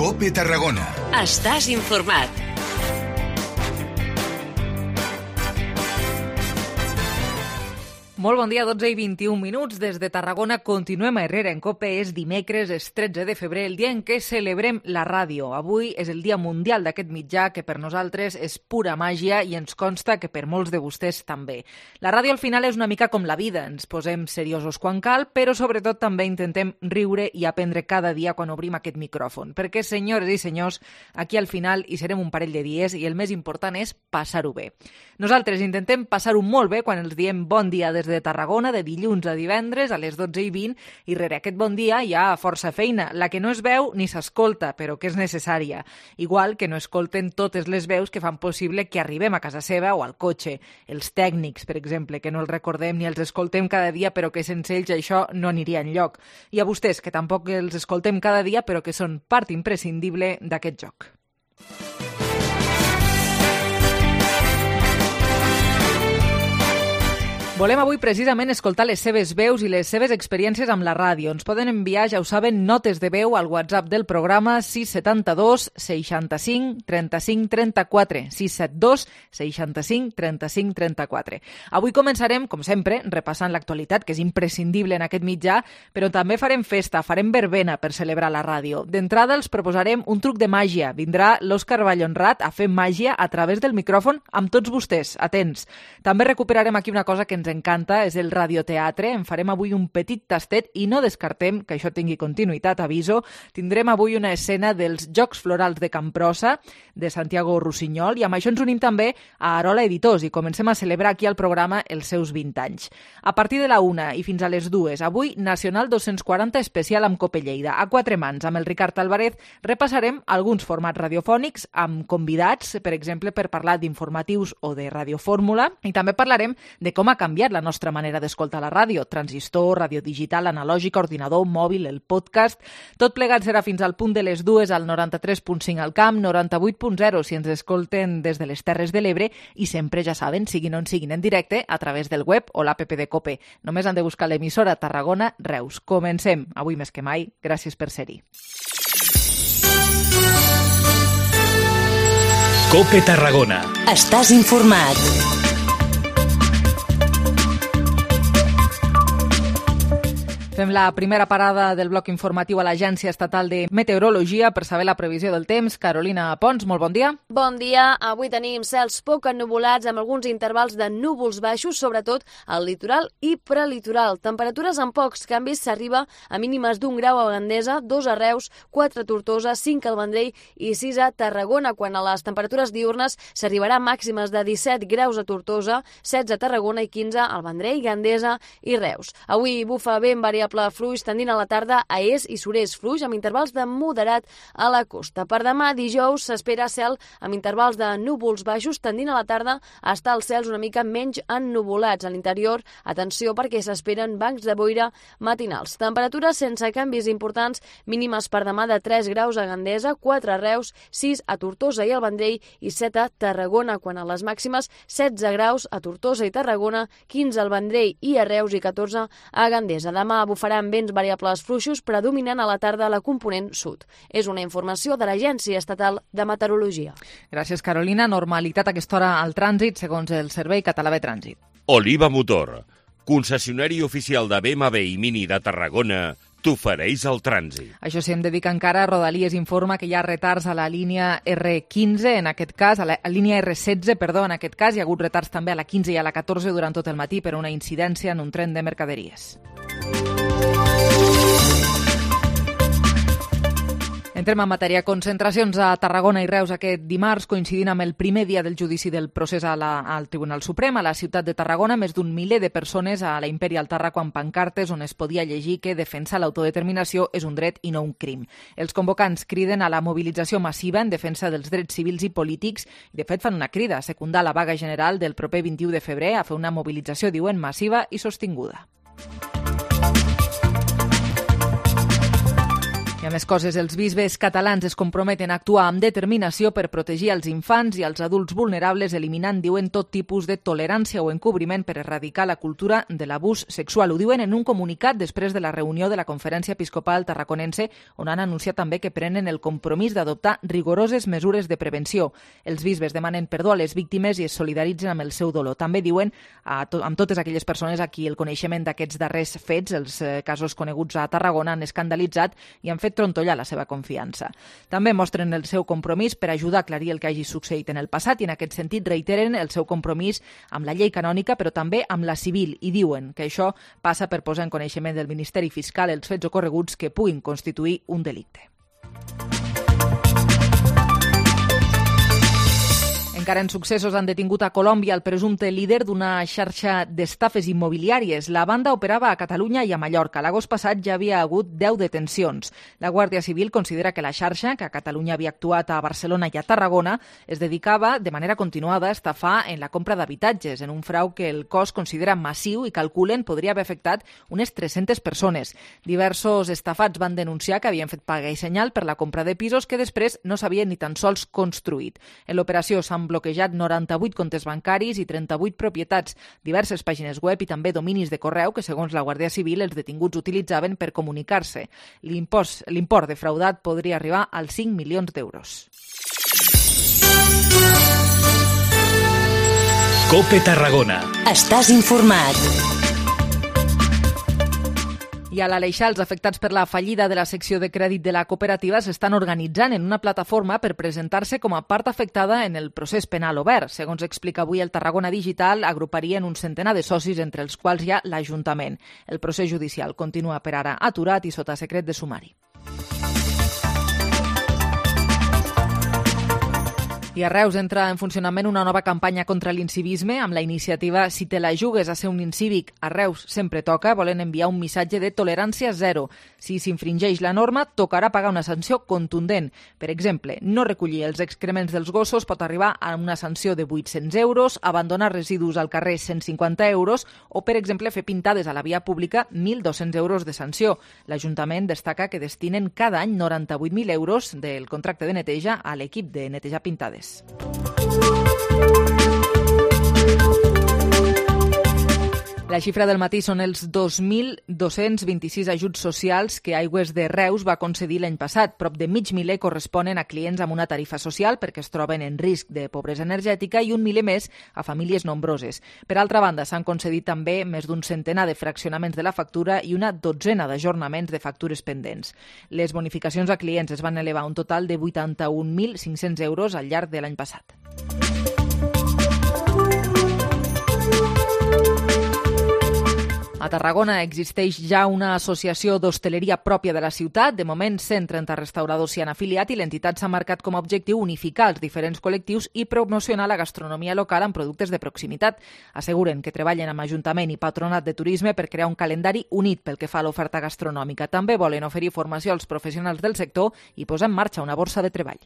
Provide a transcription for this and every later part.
COPE Tarragona. Estàs informat. Molt bon dia, 12 i 21 minuts. Des de Tarragona continuem a Herrera en COPE. És dimecres, és 13 de febrer, el dia en què celebrem la ràdio. Avui és el dia mundial d'aquest mitjà que per nosaltres és pura màgia i ens consta que per molts de vostès també. La ràdio al final és una mica com la vida. Ens posem seriosos quan cal, però sobretot també intentem riure i aprendre cada dia quan obrim aquest micròfon. Perquè, senyores i senyors, aquí al final hi serem un parell de dies i el més important és passar-ho bé. Nosaltres intentem passar-ho molt bé quan els diem bon dia des de Tarragona, de dilluns a divendres a les 12:20, i rere aquest bon dia hi ha força feina, la que no es veu ni s'escolta, però que és necessària. Igual que no escolten totes les veus que fan possible que arribem a casa seva o al cotxe. Els tècnics, per exemple, que no els recordem ni els escoltem cada dia, però que sense ells això no aniria enlloc. I a vostès, que tampoc els escoltem cada dia, però que són part imprescindible d'aquest joc. Volem avui precisament escoltar les seves veus i les seves experiències amb la ràdio. Ens poden enviar, ja ho saben, notes de veu al WhatsApp del programa 672 65 35 34. 672 65 35 34. Avui començarem, com sempre, repassant l'actualitat, que és imprescindible en aquest mitjà, però també farem festa, farem verbena per celebrar la ràdio. D'entrada els proposarem un truc de màgia. Vindrà l'Òscar Vallhonrat a fer màgia a través del micròfon amb tots vostès. Atents. També recuperarem aquí una cosa que ens encanta, és el radioteatre. En farem avui un petit tastet i no descartem que això tingui continuïtat, aviso. Tindrem avui una escena dels Jocs Florals de Camprosa, de Santiago Rossinyol, i amb això ens unim també a Arola Editors i comencem a celebrar aquí al programa els seus 20 anys. A partir de la 1 i fins a les 2, avui Nacional 240 especial amb COPE Lleida. A quatre mans, amb el Ricard Alvarez, repassarem alguns formats radiofònics amb convidats, per exemple, per parlar d'informatius o de radiofórmula, i també parlarem de com ha canviat la nostra manera d'escoltar la ràdio. Transistor, ràdio digital, analògica, ordinador, mòbil, el podcast. Tot plegat serà fins al punt de les 2 al 93.5 al camp, 98.0 si ens escolten des de les Terres de l'Ebre i sempre, ja saben, siguin on siguin en directe, a través del web o l'app de COPE. Només han de buscar l'emissora Tarragona Reus. Comencem. Avui més que mai, gràcies per ser-hi. COPE Tarragona. Estàs informat. Fem la primera parada del bloc informatiu a l'Agència Estatal de Meteorologia per saber la previsió del temps. Carolina Pons, molt bon dia. Bon dia. Avui tenim cels poc ennuvolats amb alguns intervals de núvols baixos, sobretot al litoral i prelitoral. Temperatures amb pocs canvis, s'arriba a mínimes d'1 grau a Gandesa, 2 a Reus, 4 a Tortosa, 5 al Vendrell i 6 a Tarragona. Quan a les temperatures diurnes s'arribarà a màximes de 17 graus a Tortosa, 16 a Tarragona i 15 al Vendrell, Gandesa i Reus. Avui bufa vent variable fluix tendint a la tarda a est i sud-est fluix amb intervals de moderat a la costa. Per demà, dijous, s'espera cel amb intervals de núvols baixos tendint a la tarda a estar els cels una mica menys ennuvolats. A l'interior, atenció perquè s'esperen bancs de boira matinals. Temperatures sense canvis importants, mínimes per demà de 3 graus a Gandesa, 4 a Reus, 6 a Tortosa i al Vendrell i 7 a Tarragona, quan a les màximes 16 graus a Tortosa i Tarragona, 15 al Vendrell i a Reus i 14 a Gandesa. Demà bufaran vents variables fluixos predominant a la tarda a la component sud. És una informació de l'Agència Estatal de Meteorologia. Gràcies, Carolina. Normalitat a aquesta hora al trànsit, segons el Servei Català de Trànsit. Oliva Motor, concessionari oficial de BMW i Mini de Tarragona, t'ofereix el trànsit. Això sí, hem de dir que encara Rodalies informa que hi ha retards a la línia R15, en aquest cas, a la línia R16, perdó, en aquest cas. Hi ha hagut retards també a la 15 i a la 14 durant tot el matí per una incidència en un tren de mercaderies. Entrem en matèria. Concentracions a Tarragona i Reus aquest dimarts, coincidint amb el primer dia del judici del procés al Tribunal Suprem. A la ciutat de Tarragona, més d'un miler de persones a la Imperial Tarraco amb pancartes on es podia llegir que defensar l'autodeterminació és un dret i no un crim. Els convocants criden a la mobilització massiva en defensa dels drets civils i polítics i, de fet, fan una crida a secundar la vaga general del proper 21 de febrer a fer una mobilització, diuen, massiva i sostinguda. I I més coses, els bisbes catalans es comprometen a actuar amb determinació per protegir els infants i els adults vulnerables, eliminant, diuen, tot tipus de tolerància o encobriment per erradicar la cultura de l'abús sexual. Ho diuen en un comunicat després de la reunió de la Conferència Episcopal Tarraconense, on han anunciat també que prenen el compromís d'adoptar rigoroses mesures de prevenció. Els bisbes demanen perdó a les víctimes i es solidaritzen amb el seu dolor. També diuen amb totes aquelles persones a qui el coneixement d'aquests darrers fets, els casos coneguts a Tarragona, han escandalitzat i han fet trontollar la seva confiança. També mostren el seu compromís per ajudar a aclarir el que hagi succeït en el passat i en aquest sentit reiteren el seu compromís amb la llei canònica però també amb la civil i diuen que això passa per posar en coneixement del Ministeri Fiscal els fets ocorreguts que puguin constituir un delicte. Encara en successos han detingut a Colòmbia el presumpte líder d'una xarxa d'estafes immobiliàries. La banda operava a Catalunya i a Mallorca. L'agost passat ja havia hagut 10 detencions. La Guàrdia Civil considera que la xarxa, que a Catalunya havia actuat a Barcelona i a Tarragona, es dedicava de manera continuada a estafar en la compra d'habitatges, en un frau que el cos considera massiu i calculen podria haver afectat unes 300 persones. Diversos estafats van denunciar que havien fet paga i senyal per la compra de pisos que després no s'havien ni tan sols construït. En l'operació s'han bloquejat 98 comptes bancaris i 38 propietats, diverses pàgines web i també dominis de correu que, segons la Guàrdia Civil, els detinguts utilitzaven per comunicar-se. L'import defraudat podria arribar als 5 milions d'euros. COPE Tarragona. Estàs informat. I a l'Aleixar, els afectats per la fallida de la secció de crèdit de la cooperativa s'estan organitzant en una plataforma per presentar-se com a part afectada en el procés penal obert. Segons explica avui el Tarragona Digital, agruparien un centenar de socis, entre els quals hi ha l'Ajuntament. El procés judicial continua per ara aturat i sota secret de sumari. I a Reus entra en funcionament una nova campanya contra l'incivisme amb la iniciativa Si te la jugues a ser un incívic, a Reus sempre toca. Volen enviar un missatge de tolerància zero. Si s'infringeix la norma, tocarà pagar una sanció contundent. Per exemple, no recollir els excrements dels gossos pot arribar a una sanció de 800 euros, abandonar residus al carrer 150 euros o, per exemple, fer pintades a la via pública 1.200 euros de sanció. L'Ajuntament destaca que destinen cada any 98.000 euros del contracte de neteja a l'equip de netejar pintades. La xifra del matí són els 2.226 ajuts socials que Aigües de Reus va concedir l'any passat. Prop de mig miler corresponen a clients amb una tarifa social perquè es troben en risc de pobresa energètica i un miler més a famílies nombroses. Per altra banda, s'han concedit també més d'un centenar de fraccionaments de la factura i una dotzena d'ajornaments de factures pendents. Les bonificacions a clients es van elevar a un total de 81.500 euros al llarg de l'any passat. A Tarragona existeix ja una associació d'hostaleria pròpia de la ciutat. De moment, 130 restauradors s'hi han afiliat i l'entitat s'ha marcat com a objectiu unificar els diferents col·lectius i promocionar la gastronomia local amb productes de proximitat. Asseguren que treballen amb Ajuntament i Patronat de Turisme per crear un calendari unit pel que fa a l'oferta gastronòmica. També volen oferir formació als professionals del sector i posar en marxa una borsa de treball.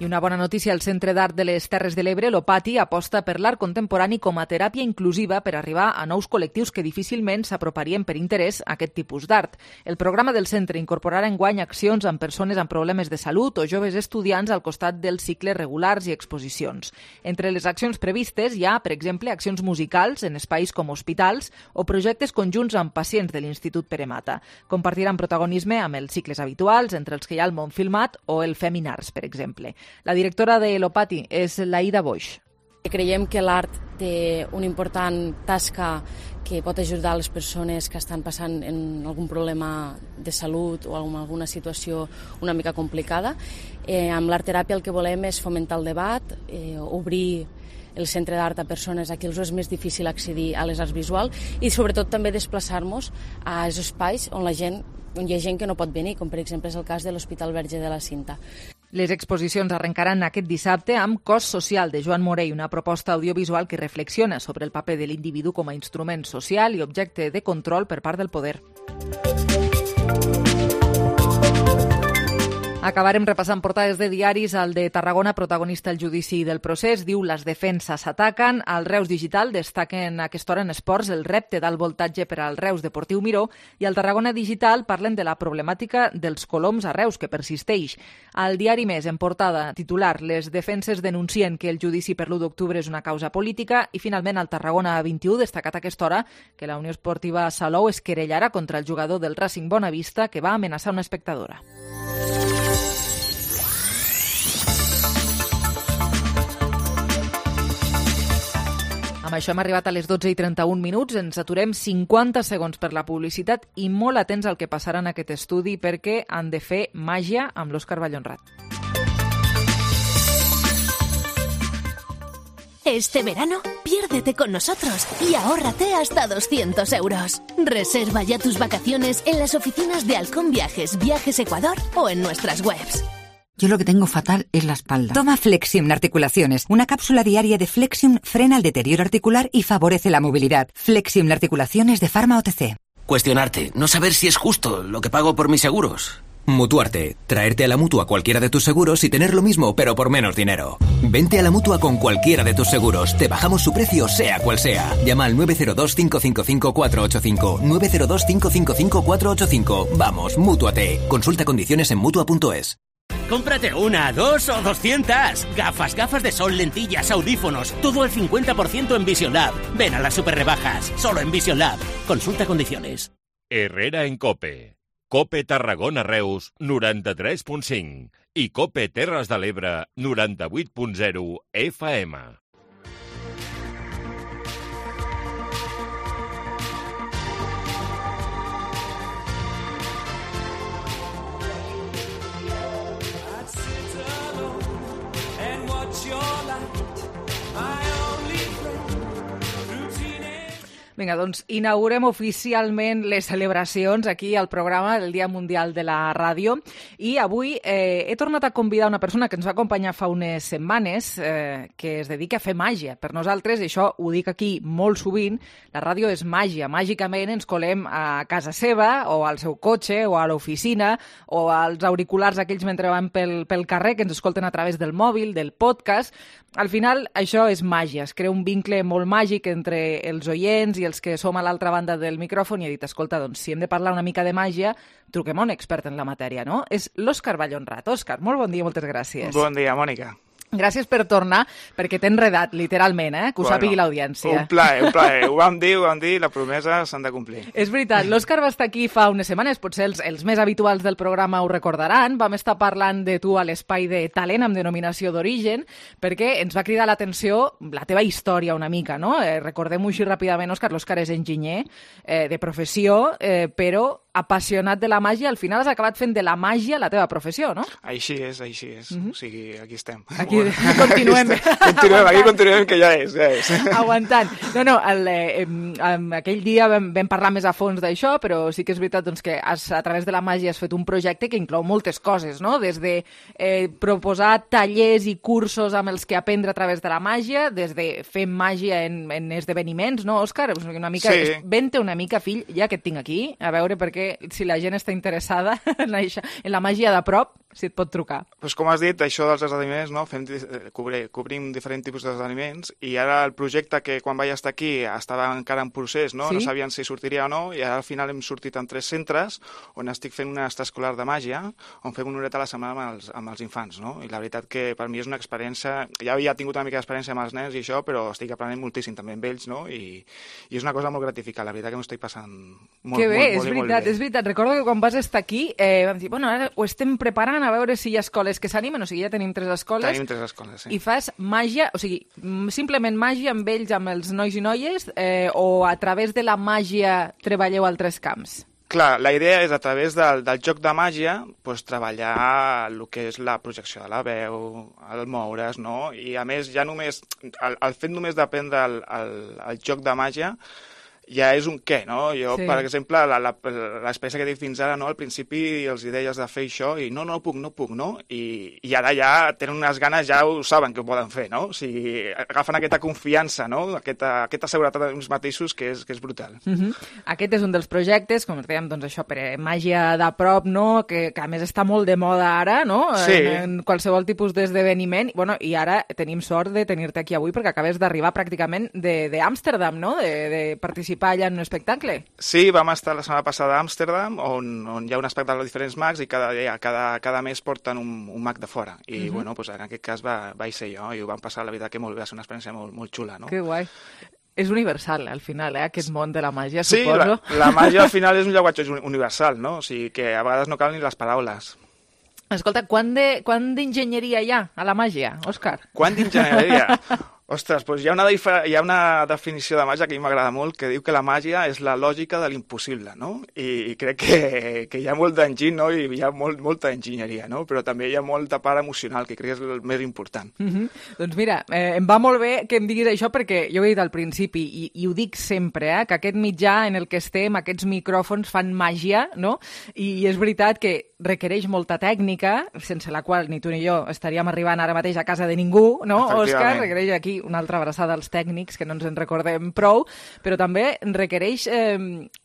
I una bona notícia, el Centre d'Art de les Terres de l'Ebre, l'Opati, aposta per l'art contemporani com a teràpia inclusiva per arribar a nous col·lectius que difícilment s'aproparien per interès a aquest tipus d'art. El programa del centre incorporarà enguany accions amb persones amb problemes de salut o joves estudiants al costat dels cicles regulars i exposicions. Entre les accions previstes hi ha, per exemple, accions musicals en espais com hospitals o projectes conjunts amb pacients de l'Institut Pere Mata. Compartiran protagonisme amb els cicles habituals, entre els que hi ha el món filmat o el Feminars, per exemple. La directora de l'Opati és l'Aida Boix. Creiem que l'art té una important tasca que pot ajudar les persones que estan passant en algun problema de salut o en alguna situació una mica complicada. Amb l'art-teràpia el que volem és fomentar el debat, obrir el centre d'art a persones a qui els és més difícil accedir a les arts visuals i sobretot també desplaçar-nos a espais on hi ha gent que no pot venir, com per exemple és el cas de l'Hospital Verge de la Cinta. Les exposicions arrencaran aquest dissabte amb Cos Social de Joan Morell, una proposta audiovisual que reflexiona sobre el paper de l'individu com a instrument social i objecte de control per part del poder. Acabarem repassant portades de diaris. El de Tarragona, protagonista el judici del procés, diu les defenses s'ataquen. Al Reus Digital destaquen a aquesta hora en esports el repte d'alt voltatge per al Reus Deportiu Miró, i al Tarragona Digital parlen de la problemàtica dels coloms a Reus, que persisteix. Al diari Més, en portada titular, les defenses denuncien que el judici per l'1 d'octubre és una causa política, i finalment al Tarragona 21 destacat a aquesta hora que la Unió Esportiva Salou es querellarà contra el jugador del Racing Bonavista que va amenaçar una espectadora. Amb això hem arribat a les 12:31, ens aturem 50 segons per la publicitat i molt atents al que passarà en aquest estudi perquè han de fer màgia amb l'Òscar Vallhonrat. Este verano, piérdete con nosotros y ahórrate hasta 200 euros. Reserva ya tus vacaciones en las oficinas de Halcón Viajes, Viajes Ecuador o en nuestras webs. Yo lo que tengo fatal es la espalda. Toma Flexium Articulaciones. Una cápsula diaria de Flexium frena el deterioro articular y favorece la movilidad. Flexium Articulaciones de Pharma OTC. Cuestionarte, no saber si es justo lo que pago por mis seguros. Mutuarte. Traerte a la Mutua cualquiera de tus seguros y tener lo mismo, pero por menos dinero. Vente a la Mutua con cualquiera de tus seguros. Te bajamos su precio, sea cual sea. Llama al 902-555-485. 902-555-485. Vamos, Mútuate. Consulta condiciones en Mutua.es. Cómprate una, 2 o 200. Gafas de sol, lentillas, audífonos. Todo al 50% en Vision Lab. Ven a las super rebajas. Solo en Vision Lab. Consulta condiciones. Herrera en COPE. COPE Tarragona Reus 93.5 i COPE Terres de l'Ebre 98.0 FM. Vinga, doncs inaugurem oficialment les celebracions aquí al programa del Dia Mundial de la Ràdio, i avui he tornat a convidar una persona que ens va acompanyar fa unes setmanes que es dedica a fer màgia. Per nosaltres, i això ho dic aquí molt sovint, la ràdio és màgia. Màgicament ens colem a casa seva o al seu cotxe o a l'oficina o als auriculars aquells mentre van pel carrer que ens escolten a través del mòbil, del podcast. Al final, això és màgia. Es crea un vincle molt màgic entre els oients i els que som a l'altra banda del micròfon, i he dit, escolta, doncs si hem de parlar una mica de màgia, truquem a un expert en la matèria, no? És l'Òscar Vallhonrat. Òscar, molt bon dia, moltes gràcies. Bon dia, Mònica. Gràcies per tornar, perquè t'he enredat, literalment, que ho sàpigui l'audiència. Un plaer. Ho vam dir, la promesa s'han de complir. És veritat, l'Òscar va estar aquí fa unes setmanes, potser els més habituals del programa ho recordaran, vam estar parlant de tu a l'espai de talent amb denominació d'origen, perquè ens va cridar l'atenció la teva història una mica, no? Recordem-ho així ràpidament, Òscar, l'Òscar és enginyer de professió, però apassionat de la màgia, al final has acabat fent de la màgia la teva professió, no? Així és. O sigui, aquí estem. Aquí continuem. Continuem, que ja és. Aguantant. No, aquell dia vam parlar més a fons d'això, però sí que és veritat doncs, que a través de la màgia has fet un projecte que inclou moltes coses, no? Des de proposar tallers i cursos amb els que aprendre a través de la màgia, des de fer màgia en esdeveniments, no, Òscar? Sí. Vente una mica, fill, ja que et tinc aquí, a veure, perquè si la gent està interessada en la màgia de prop, si et pot trucar. Pues com has dit, això dels esdeveniments, no? Cobrim diferents tipus d'esdeveniments, i ara el projecte que quan vaig estar aquí estava encara en procés, no? Sí? No sabien si sortiria o no, i ara al final hem sortit en 3 centres on estic fent una extraescolar de màgia, on fem una horeta a la setmana amb els infants, no? I la veritat que per mi és una experiència, ja havia tingut una mica d'experiència amb els nens i això, però estic aprenent moltíssim també amb ells, no? I és una cosa molt gratificant, la veritat que m'ho estic passant molt, que bé, molt bé. És veritat. Recordo que quan vas estar aquí vam dir, bueno, ara ho estem preparant a veure si hi ha escoles que s'animen, o sigui, ja tenim 3 escoles. Tenim 3 escoles, sí. I fas màgia, o sigui, simplement màgia amb ells, amb els nois i noies, o a través de la màgia treballeu a altres camps? Clar, la idea és a través del joc de màgia doncs, treballar el que és la projecció de la veu, el moure's, no? I a més, ja només, el fet només d'aprendre el joc de màgia ja és un què, no? Jo, per exemple, l'experiència que he dit fins ara, no? Al principi els deies de fer això i no puc, no? I ara ja tenen unes ganes, ja ho saben que ho poden fer, no? O sigui, agafen aquesta confiança, no? Aquesta seguretat d'ells mateixos que és brutal. Aquest és un dels projectes, com dèiem, doncs això, per màgia de prop, no? Que a més està molt de moda ara, no? Sí. En qualsevol tipus d'esdeveniment. Bueno, i ara tenim sort de tenir-te aquí avui perquè acabes d'arribar pràcticament d'Amsterdam, no? De participar allà en un espectacle. Sí, vam estar la setmana passada a Amsterdam, on hi ha un espectacle de diferents mags i cada mes porten un mag de fora. I, bueno, doncs en aquest cas vaig ser jo i ho vam passar, la veritat, que molt bé, va ser una experiència molt xula, no? Que guai. És universal, al final, aquest món de la màgia, suposo. Sí, la màgia al final és un llenguatge universal, no? O sigui que a vegades no cal ni les paraules. Escolta, quant d'enginyeria hi ha a la màgia, Òscar? Quant d'enginyeria? Ostres, doncs hi ha una definició de màgia que a mi m'agrada molt, que diu que la màgia és la lògica de l'impossible, no? I crec que hi ha molt d'enginy, no? I hi ha molta enginyeria, no? Però també hi ha molta part emocional, que crec que és el més important. Doncs mira, em va molt bé que em diguis això, perquè jo ho he dit al principi, i ho dic sempre, que aquest mitjà en el que estem, aquests micròfons fan màgia, no? I és veritat que requereix molta tècnica, sense la qual ni tu ni jo estaríem arribant ara mateix a casa de ningú, no, Òscar? Requereix aquí una altra abraçada als tècnics, que no ens en recordem prou, però també requereix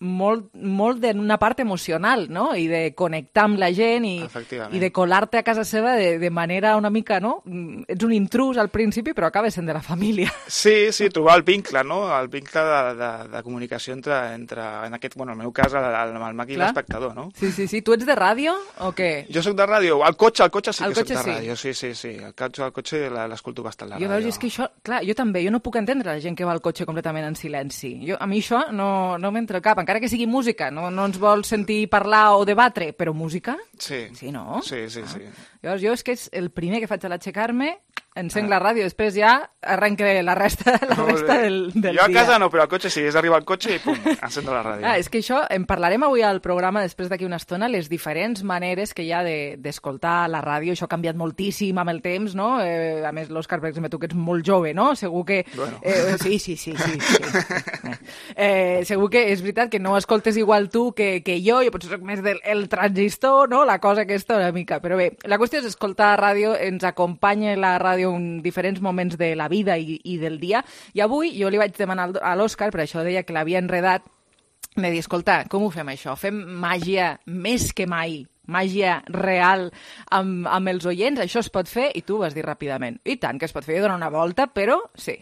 molt d'una part emocional, no? I de connectar amb la gent i de colar-te a casa seva de manera una mica, no? Ets un intrus al principi, però acabes sent de la família. Sí, trobar el vincle, no? El vincle de comunicació entre en aquest, bueno, en el meu cas, el mag i l'espectador, no? Sí. Tu ets de ràdio o què? Jo soc de ràdio. El cotxe sí que soc de ràdio. Sí. El cotxe l'escolto bastant, la ràdio. Jo veus, és que això, clar, jo també, jo no puc entendre la gent que va al cotxe completament en silenci. A mi això no m'entra al cap, encara que sigui música, no ens vol sentir parlar o debatre, però música? Sí. Sí, no? Sí. Llavors, jo és que és el primer que faig a l'aixecar-me, encenc la ràdio, després ja arrenque la resta del dia. Jo a casa no, però al cotxe sí, és arribar al cotxe i pum, encendo la ràdio. És que això, en parlarem avui al programa, després d'aquí una estona, les diferents maneres que hi ha d'escoltar la ràdio. Això ha canviat moltíssim amb el temps, no? A més, l'Òscar, per exemple, tu que ets molt jove, no? Segur que... Bueno. Sí. Segur que és veritat que no escoltes igual tu que jo potser soc més del transistor, no? La cosa aquesta una mica. Però bé, la qüestió és escoltar ràdio, ens acompanya la ràdio en diferents moments de la vida i del dia, i avui jo li vaig demanar a l'Òscar, per això deia que l'havia enredat, de dir, escolta, com ho fem això? Fem màgia més que mai, màgia real amb els oients? Això es pot fer? I tu vas dir ràpidament, i tant que es pot fer, donar una volta, però sí.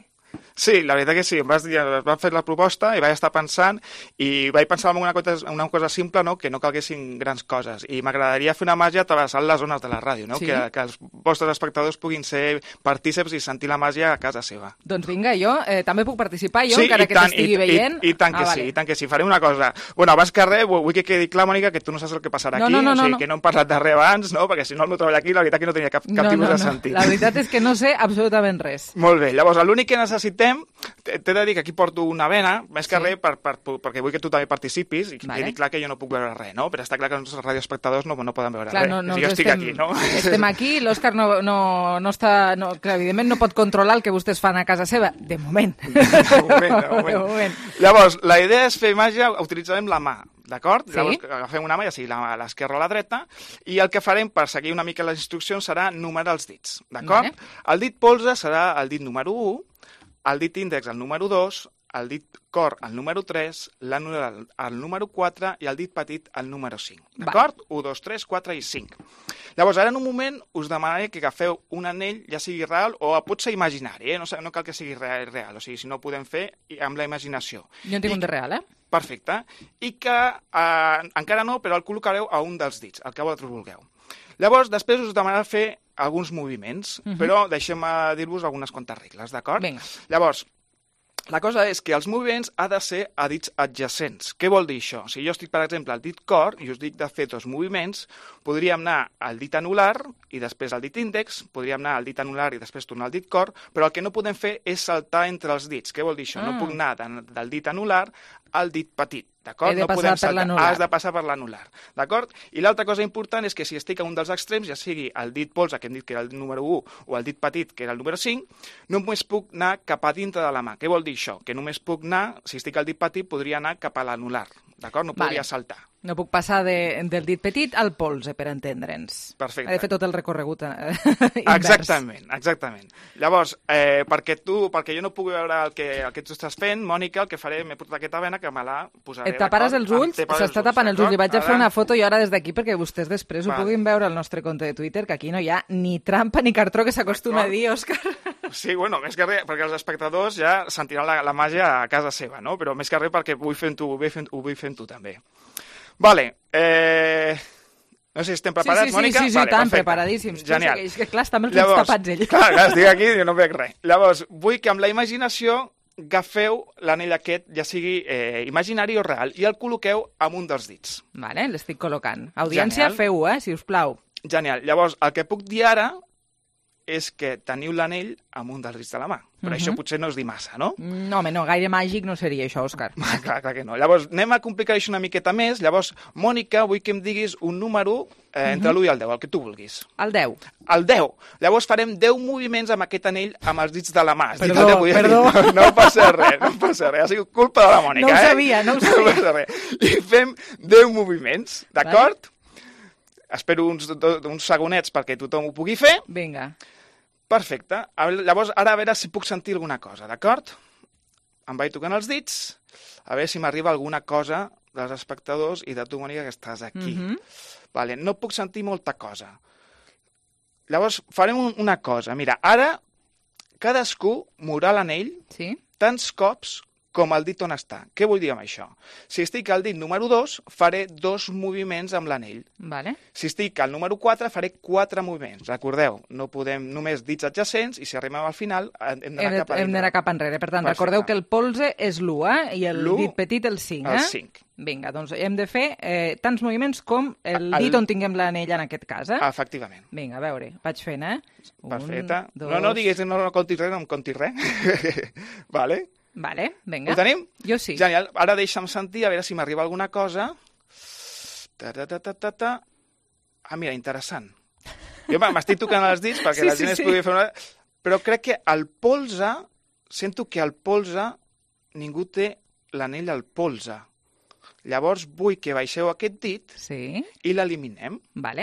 Sí, la veritat que sí, em van fer la proposta i vaig estar pensant i vaig pensar en una cosa simple, no? Que no calguessin grans coses, i m'agradaria fer una màgia travessant les zones de la ràdio, no? Sí. Que els vostres espectadors puguin ser partíceps i sentir la màgia a casa seva. Doncs vinga, jo també puc participar, jo, sí, encara que t'estigui veient. I tant que sí, i tant que sí. Faré una cosa. Bueno, abans que res, vull que quedi clar, Mònica, que tu no saps el que passarà aquí, o sigui, que no hem parlat de res abans, no? Perquè si no el meu treball aquí, la veritat que no tenia cap tipus de sentit. La veritat és que no sé absolutament res. Molt bé, llavors l'únic que necessitem, t'he de dir que aquí porto una vena, més que res perquè vull que tu també participis i quedi clar que jo no puc veure res, no? Però està clar que els radioespectadors no poden veure res. Jo estic aquí, no? Estem aquí, l'Òscar no està... Clar, evidentment no pot controlar el que vostès fan a casa seva, de moment. De moment. Llavors, la idea és fer màgia, utilitzarem la mà, d'acord? Sí. Llavors agafem una mà, ja sigui l'esquerra o la dreta, i el que farem per seguir una mica les instruccions serà numerar els dits, d'acord? El dit polze serà el dit número 1, el dit índex el número 2, el dit cor el número 3, l'anular el número 4 i el dit petit el número 5. D'acord? 1, 2, 3, 4 i 5. Llavors, ara en un moment us demanaré que agafeu un anell, ja sigui real o pot ser imaginari, no cal que sigui real, o sigui, si no ho podem fer amb la imaginació. Jo en tinc un de real, Perfecte. I que encara no, però el col·locareu a un dels dits, el que vosaltres vulgueu. Llavors, després us demanarà fer alguns moviments, però deixem-me dir-vos algunes quantes regles, d'acord? Vinga. Llavors, la cosa és que els moviments ha de ser a dits adjacents. Què vol dir això? Si jo estic, per exemple, al dit cor i us dic de fer dos moviments, podríem anar al dit anular i després al dit índex, podríem anar al dit anular i després tornar al dit cor, però el que no podem fer és saltar entre els dits. Què vol dir això? No puc anar del dit anular al dit petit. D'acord? He de passar per l'anular. Has de passar per l'anular. D'acord? I l'altra cosa important és que si estic a un dels extrems, ja sigui el dit polze, que hem dit que era el número 1, o el dit petit, que era el número 5, només puc anar cap a dintre de la mà. Què vol dir això? Que només puc anar, si estic al dit petit, podria anar cap a l'anular. D'acord? No podria saltar. No puc passar del dit petit al polze, per entendre'ns. Perfecte. He de fer tot el recorregut invers. Exactament. Llavors, perquè jo no pugui veure el que tu estàs fent, Mònica, el que faré, m'he portat aquesta vena que me la posaré. Et taparàs els ulls? S'està tapant els ulls. Li vaig a fer una foto jo ara des d'aquí perquè vostès després ho puguin veure al nostre compte de Twitter, que aquí no hi ha ni trampa ni cartró, que s'acostuma a dir, Òscar. Sí, bueno, més que res, perquè els espectadors ja sentiran la màgia a casa seva, no? Però més que res perquè ho vull fer amb tu també. Vale, no sé si estem preparats, Mònica? Sí, tant, preparadíssims. Genial. És que clar, està amb els ulls tapats ell. Clar, estic aquí i no veig res. Llavors, vull que amb la imaginació agafeu l'anell aquest, ja sigui imaginari o real, i el col·loqueu amb un dels dits. Vale, l'estic col·locant. Audiència, feu-ho, si us plau. Genial. Llavors, el que puc dir ara és que teniu l'anell amb un dels dits de la mà. Però això potser no és dir massa, no? No, home, no, gaire màgic no seria això, Òscar. Clar que no. Llavors, anem a complicar això una miqueta més. Llavors, Mònica, vull que em diguis un número entre l'1 i el 10, el que tu vulguis. El 10. El 10. Llavors farem 10 moviments amb aquest anell amb els dits de la mà. Perdó. No passa res. Ha sigut culpa de la Mònica, No ho sabia. No passa res. I fem 10 moviments, d'acord? Espero uns segonets perquè tothom ho pugui fer. Vinga. Perfecte. Llavors, ara a veure si puc sentir alguna cosa, d'acord? Em vaig tocant els dits, a veure si m'arriba alguna cosa dels espectadors i de tu, Mònica, que estàs aquí. Vale, no puc sentir molta cosa. Llavors, farem una cosa. Mira, ara cadascú mourà l'anell tants cops com el dit on està. Què vull dir amb això? Si estic al dit número 2, faré 2 moviments amb l'anell. Vale. Si estic al número 4, faré 4 moviments. Recordeu, no podem només dits adjacents i si arribem al final hem d'anar cap enrere. Per tant, recordeu que el polze és l'1, i el dit petit el 5. El 5. Vinga, doncs hem de fer tants moviments com el dit on tinguem l'anell en aquest cas, Efectivament. Vinga, a veure, vaig fent, Perfecte. No diguis, no contis res, no em contis res. Vale. Vale, vinga. Ho tenim? Jo sí. Genial. Ara deixa'm sentir, a veure si m'arriba alguna cosa. Mira, interessant. Jo m'estic tocant els dits perquè la gent es pugui fer una... Però crec que el polze, sento que al polze ningú té l'anell al polze. Llavors vull que baixeu aquest dit i l'eliminem.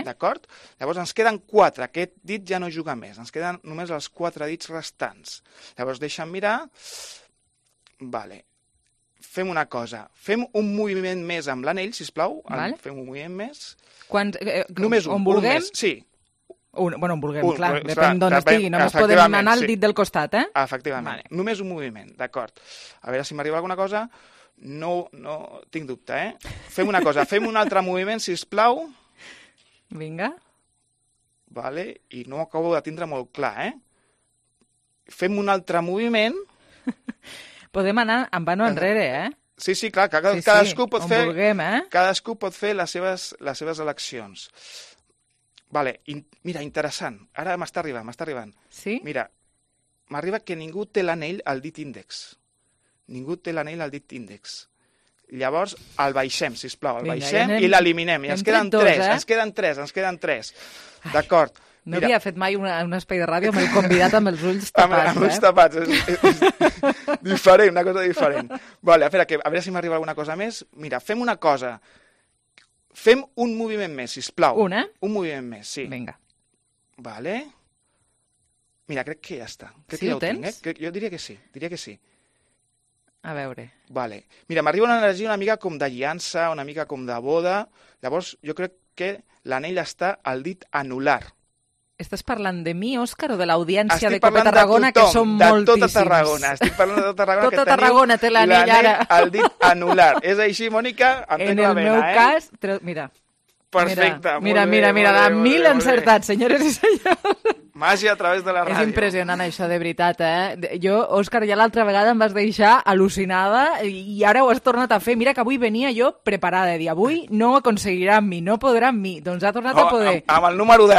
D'acord? Llavors ens queden 4. Aquest dit ja no juga més. Ens queden només els 4 dits restants. Llavors deixa'm mirar... Vale. Fem una cosa. Fem un moviment més amb l'anell, sisplau. Fem un moviment més. Només un. On vulguem? Sí. On vulguem, clar. Depèn d'on estigui. Només podem anar al dit del costat, Efectivament. Només un moviment, d'acord. A veure si m'arriba alguna cosa. No tinc dubte, Fem una cosa. Fem un altre moviment, sisplau. Vinga. Vale. I no ho acabo de tindre molt clar, Fem un altre moviment. Podem anar en vano enrere, Sí, clar, cadascú pot fer... vulguem, Cadascú pot fer les seves eleccions. Vale, mira, interessant. Ara m'està arribant. Sí? Mira, m'arriba que ningú té l'anell al dit índex. Ningú té l'anell al dit índex. Llavors, el baixem, sisplau, i l'eliminem. I ens queden 3, D'acord. No havia fet mai un espai de ràdio amb el convidat amb els ulls tapats. Amb ulls tapats. És diferent, una cosa diferent. Vale, a veure si m'arriba alguna cosa més. Mira, fem una cosa. Fem un moviment més, sisplau. Un moviment més, sí. Vinga. Vale. Mira, crec que ja està. Sí, ho tens? Jo diria que sí. A veure. Vale. Mira, m'arriba una energia una mica com d'alliança, una mica com de boda. Llavors, jo crec que l'anell està al dit anular. Estàs parlant de mi, Òscar, o de l'audiència de Cope Tarragona, que són moltíssims? De tota Tarragona. Estic parlant de tota Tarragona. Tota Tarragona té l'anell ara. Al dit anular. És així, Mònica? En el meu cas... Mira. Perfecte. Mira, de 1000 encertats, senyores i senyors. Màgia a través de la ràdio. És impressionant això, de veritat, Jo, Òscar, ja l'altra vegada em vas deixar al·lucinada i ara ho has tornat a fer. Mira que avui venia jo preparada, de dir, avui no ho aconseguirà amb mi, no podrà amb mi. Doncs ha tornat a poder. Amb el número 10,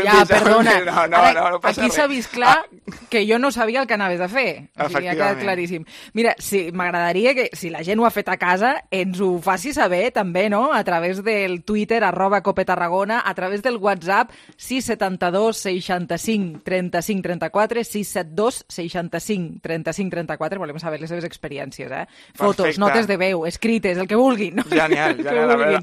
Ja, perdona. No passa aquí res. s'ha vist clar que jo no sabia el que anaves a fer. O sigui, ha quedat claríssim. Mira, sí, m'agradaria que, si la gent ho ha fet a casa, ens ho faci saber també, no?, a través del Twitter, @copetarragona, a través del WhatsApp, 672 65 35 34, 672 65 35 34, volem saber les seves experiències, Fotos, Perfecte. notes de veu, escrites, el que vulguin. No? Genial,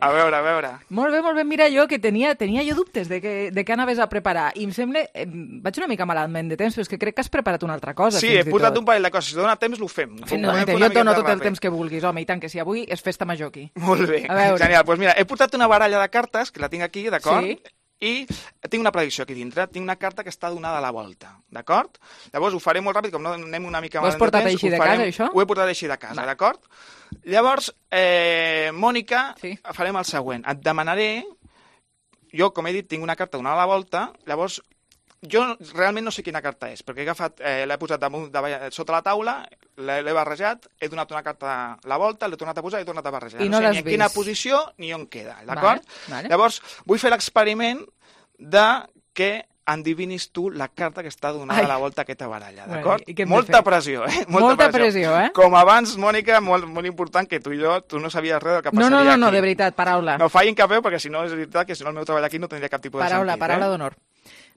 a veure. Molt bé, mira, jo que tenia jo dubtes de què anaves a preparar, i em sembla, vaig una mica malament de temps, però és que crec que has preparat una altra cosa. Sí, he portat un parell de coses, si dona temps l'ho fem. Jo et dono tot el temps que vulguis, home, i tant, que si avui és festa major aquí. Molt bé, genial. Doncs mira, he portat una baralla de cartes, que la tinc aquí, d'acord? Sí. I tinc una predicció aquí dintre, tinc una carta que està donada a la volta, d'acord? Llavors ho faré molt ràpid, com no anem una mica malament de temps. Ho has portat així de casa, això? Ho he portat així de casa, d'acord? Llavors, Mònica, farem el següent. Et demanaré, jo, com he dit, tinc una carta donada a la volta, llavors jo realment no sé quina carta és, perquè he agafat, l'he posat sota la taula, l'he barrejat, he donat una carta a la volta, l'he tornat a posar i he tornat a barrejar. I no sé l'has ni en vist. quina posició ni on queda, d'acord? Vale. Llavors, vull fer l'experiment de que endivinis tu la carta que està donada a la volta a aquesta baralla, d'acord? Molta pressió, Molta pressió, Com abans, Mònica, molt important, que tu i jo, tu no sabies res del que passaria aquí. No, de veritat, paraula. No fallin cap perquè si no és veritat que si no el meu treball aquí no tindria cap tipus de sentit. Paraula d'honor.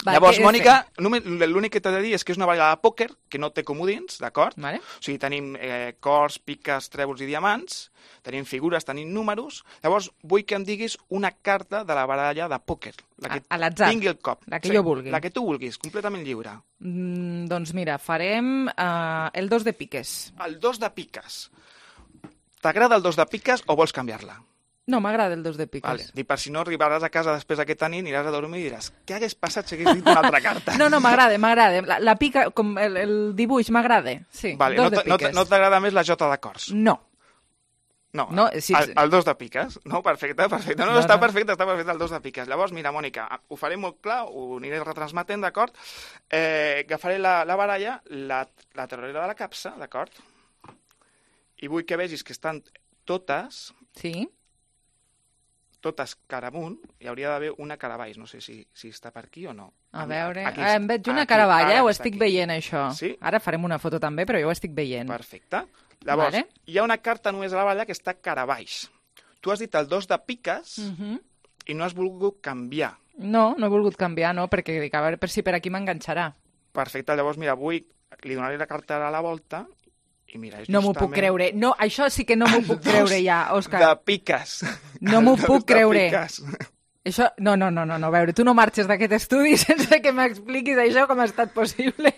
Llavors, Mònica, l'únic que t'he de dir és que és una baralla de pòquer que no té comodins, d'acord? Vale. O sigui, tenim cors, piques, trèvols i diamants, tenim figures, tenim números. Llavors, vull que em diguis una carta de la baralla de pòquer. La que a l'atzar. tingui el cop. La que jo vulgui. La que tu vulguis, completament lliure. Doncs mira, farem el 2 de piques. El 2 de piques. T'agrada el 2 de piques o vols canviar-la? No, m'agrada el 2 de piques. Vale. I per si no arribaràs a casa després d'aquesta nit, aniràs a dormir i diràs, què hagués passat si hagués dit una altra carta? No, m'agrada. La pica, com el dibuix, m'agrada. Sí, vale. 2 de piques. No t'agrada més la jota de cors? No. No, sí. El 2 de piques. No, perfecte. No, està perfecte el 2 de piques. Llavors, mira, Mònica, ho faré molt clar, ho aniré retransmetent, d'acord? Agafaré la baralla, la treuré de la capsa, d'acord? I vull que vegis que estan totes... Sí. Totes cara amunt, hi hauria d'haver una cara baix. No sé si està per aquí o no. A veure... em veig una cara baix, ho estic veient, això. Sí? Ara farem una foto també, però jo ho estic veient. Perfecte. Llavors, hi ha una carta només a la baralla que està cara baix. Tu has dit el 2 de piques i no has volgut canviar. No he volgut canviar, no, perquè dic, a veure si per aquí m'enganxarà. Perfecte, llavors, mira, li donaré la carta a la volta i mira, no m'ho puc creure. No, això sí que no m'ho puc creure ja, Òscar. De piques. No m'ho puc creure. Això, no, a veure, tu no marxes d'aquest estudi sense que m'expliquis això com ha estat possible.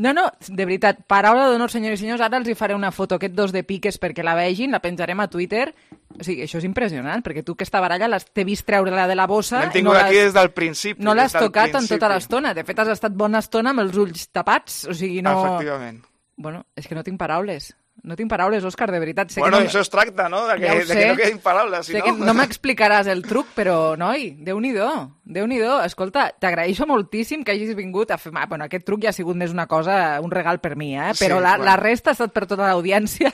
No, de veritat, paraula d'honor, senyors i senyors, ara els hi faré una foto, aquest 2 de piques, perquè la vegin, la penjarem a Twitter. O sigui, això és impressionant, perquè tu aquesta baralla t'he vist treure-la de la bossa... L'hem tingut aquí des del principi. No l'has tocat en tota l'estona. De fet, has estat bona estona amb els ulls tapats. O sigui, no... Efectivament. Bueno, és que no tinc paraules. No tinc paraules, Òscar, de veritat. Sé bueno, que no... això es tracta, no? De que no quedin paraules, si sé que no m'explicaràs el truc, però, noi, Déu-n'hi-do. Escolta, t'agraeixo moltíssim que hagis vingut a fer... Bueno, aquest truc ja ha sigut més una cosa, un regal per mi, però la resta ha estat per tota l'audiència.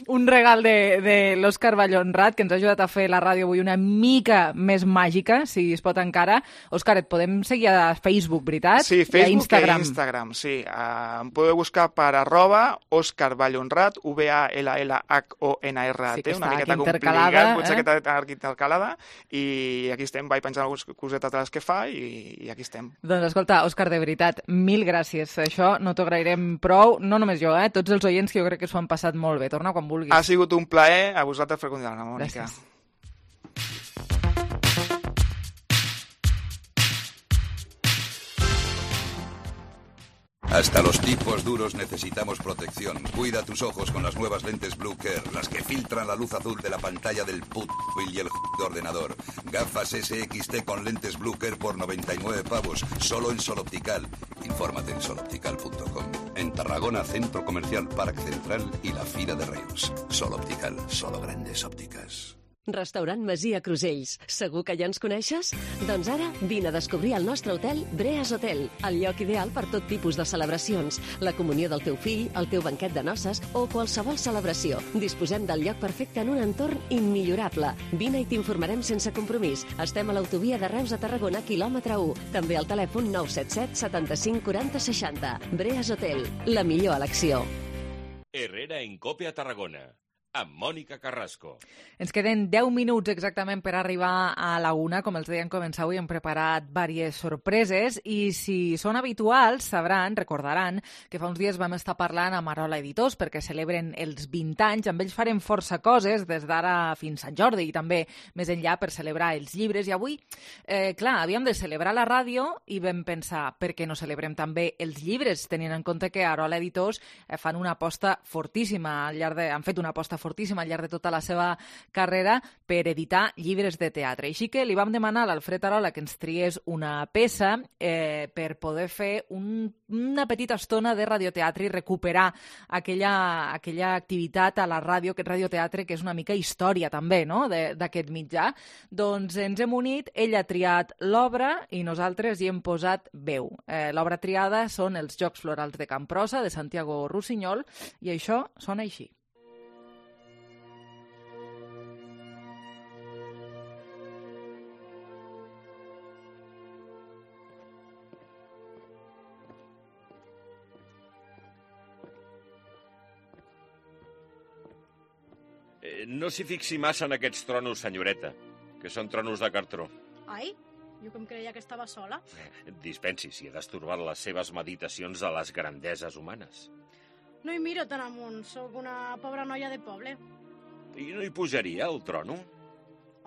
Un regal de l'Òscar Vallhonrat, que ens ha ajudat a fer la ràdio avui una mica més màgica, si es pot encara. Òscar, et podem seguir a Facebook, veritat? Sí, Facebook i Instagram, sí. Em podeu buscar per @Òscar Vallhonrat, Vallhonrat, sí, una miqueta complicat, potser que està intercalada, i aquí estem, vaig penjant algunes cosetes de les que fa i aquí estem. Doncs escolta, Òscar, de veritat, mil gràcies. Això no t'ho agrairem prou, no només jo, tots els oients que jo crec que s'ho han passat molt bé. Torna quan vulguis. Ha sigut un plaer, a vosaltres per convidar-me, Mònica. Gràcies. Hasta los tipos duros necesitamos protección. Cuida tus ojos con las nuevas lentes Blue Care, las que filtran la luz azul de la pantalla del móvil y el ordenador. Gafas SXT con lentes Blue Care por 99 pavos, solo en Sol Optical. Infórmate en soloptical.com. En Tarragona, Centro Comercial Parc Central y la Fira de Reus. Sol Optical, solo grandes ópticas. Restaurant Masia Crusells. Segur que ja ens coneixes? Doncs ara vine a descobrir el nostre hotel Breas Hotel, el lloc ideal per tot tipus de celebracions, la comunió del teu fill, el teu banquet de noces o qualsevol celebració. Disposem del lloc perfecte en un entorn immillorable. Vine i t'informarem sense compromís. Estem a l'autovia de Reus a Tarragona, quilòmetre 1. També al telèfon 977 75 40 60. Breas Hotel, la millor elecció. Herrera en Cope a Tarragona, amb Mònica Carrasco. Ens queden 10 minuts exactament per arribar a la 1. Com els deien, començar avui hem preparat diverses sorpreses i si són habituals recordaran que fa uns dies vam estar parlant amb Arola Editors perquè celebren els 20 anys. Amb ells farem força coses des d'ara fins a Sant Jordi i també més enllà per celebrar els llibres. I avui, havíem de celebrar la ràdio i vam pensar per què no celebrem també els llibres, tenint en compte que Arola Editors fan una aposta fortíssima han fet una aposta fortíssima al llarg de tota la seva carrera per editar llibres de teatre. Així que li vam demanar a l'Alfred Arola que ens triés una peça per poder fer una petita estona de radioteatre i recuperar aquella activitat a la ràdio, aquest radioteatre que és una mica història també, no?, d'aquest mitjà. Doncs ens hem unit, ell ha triat l'obra i nosaltres hi hem posat veu. L'obra triada són els Jocs Florals de Camprosa, de Santiago Rusiñol, i això sona així. No s'hi fixi massa en aquests tronos, senyoreta, que són tronos de cartró. Ai, jo que em creia que estava sola. Dispensi si he destorbat les seves meditacions de les grandeses humanes. No hi miro tan amunt, sóc una pobra noia de poble. I no hi pujaria, el trono?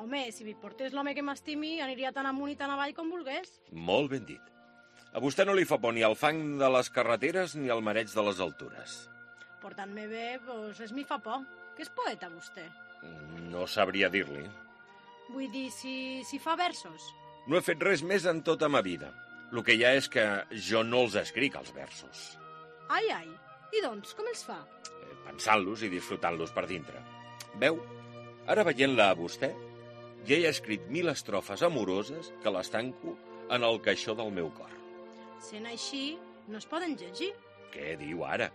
Home, si m'hi portés l'home que m'estimi, aniria tan amunt i tan avall com volgués. Molt ben dit. A vostè no li fa por ni el fang de les carreteres ni el mareig de les altures. Portant-me bé, doncs res m'hi fa por. Que és poeta, vostè? No sabria dir-li. Vull dir, si fa versos. No he fet res més en tota ma vida. El que hi ha és que jo no els escric, els versos. Ai, ai. I doncs, com els fa? Pensant-los i disfrutant-los per dintre. Veu? Ara veient-la a vostè, ja he escrit 1000 estrofes amoroses que les tanco en el caixó del meu cor. Sent així, no es poden llegir. Què diu ara?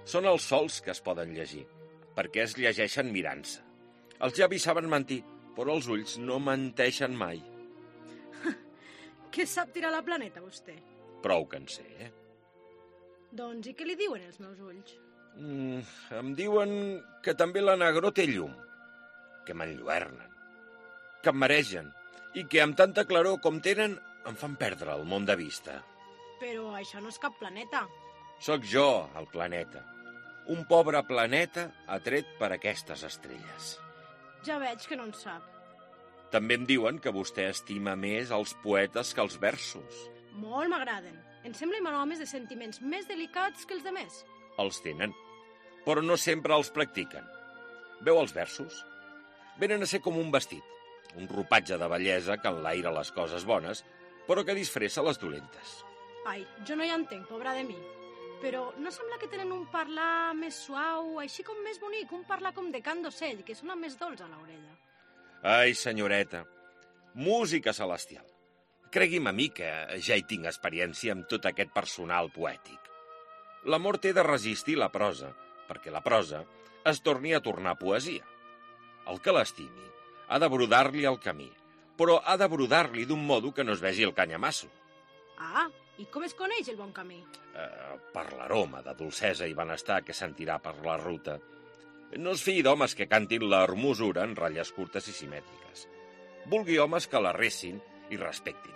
Són els sols que es poden llegir, perquè es llegeixen mirant-se. Els llavis saben mentir, però els ulls no menteixen mai. Què sap tirar la planeta, vostè? Prou que en sé, Doncs, i què li diuen els meus ulls? Em diuen que també la negró té llum, que m'enlluernen, que em maregen, i que amb tanta claror com tenen em fan perdre el món de vista. Però això no és cap planeta. Sóc jo, el planeta. Un pobre planeta atret per aquestes estrelles. Ja veig que no en sap. També em diuen que vostè estima més els poetes que els versos. Molt m'agraden. Em semblen homes de sentiments més delicats que els demés. Els tenen, però no sempre els practiquen. Veu els versos? Venen a ser com un vestit, un ropatge de bellesa que enlaira les coses bones, però que disfressa les dolentes. Ai, jo no hi entenc, pobra de mi. Però no sembla que tenen un parlar més suau, així com més bonic, un parlar com de cant d'ocell, que sona més dolç a l'orella. Ai, senyoreta, música celestial. Cregui'm a mi que ja hi tinc experiència amb tot aquest personal poètic. L'amor té de resistir la prosa, perquè la prosa es torni a tornar poesia. El que l'estimi ha de brodar-li el camí, però ha de brodar-li d'un modo que no es vegi el canyamasso. Ah, i com es coneix el bon camí? Per l'aroma de dolcesa i benestar que sentirà per la ruta. No es fiï d'homes que cantin la hermosura en ratlles curtes i simètriques. Vulgui homes que la recin i respectin.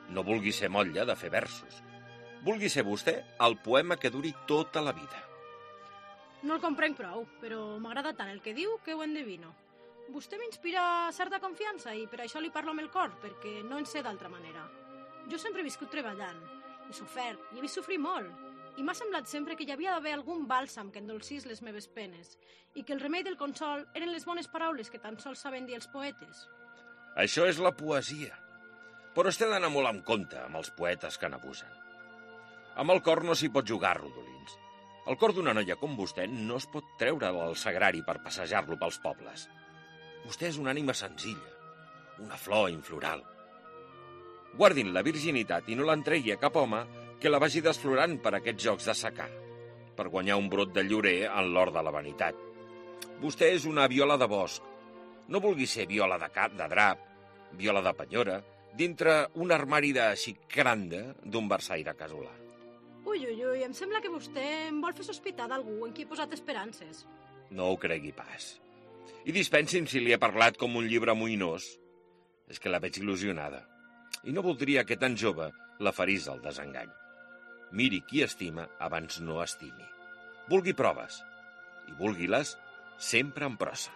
No vulgui ser motlla de fer versos. Vulgui ser vostè el poema que duri tota la vida. No el comprenc prou, però m'agrada tant el que diu que ho endevino. Vostè m'inspira certa confiança i per això li parlo amb el cor, perquè no en sé d'altra manera. Jo sempre he viscut treballant, he sofert i he vist sofrir molt, i m'ha semblat sempre que hi havia d'haver algun bàlsam que endolcís les meves penes i que el remei del consol eren les bones paraules que tan sols saben dir els poetes. Això és la poesia, però es té d'anar molt en compte amb els poetes que n'abusen. Amb el cor no s'hi pot jugar, rodolins. El cor d'una noia com vostè no es pot treure del sagrari per passejar-lo pels pobles. Vostè és una ànima senzilla, una flor infloral. Guardin la virginitat i no l'entregui a cap home que la vagi desflorant per aquests jocs de secà, per guanyar un brot de llorer en l'or de la vanitat. Vostè és una viola de bosc. No vulgui ser viola de cap, de drap, viola de penyora, dintre un armari de xicranda d'un versaire casolà. Ui, em sembla que vostè em vol fer sospitar d'algú en qui he posat esperances. No ho cregui pas. I dispensin si li he parlat com un llibre moïnós. És que la veig il·lusionada. I no voldria que tan jove la ferís el desengany. Miri qui estima abans no estimi. Vulgui proves, i vulgui-les sempre en prosa.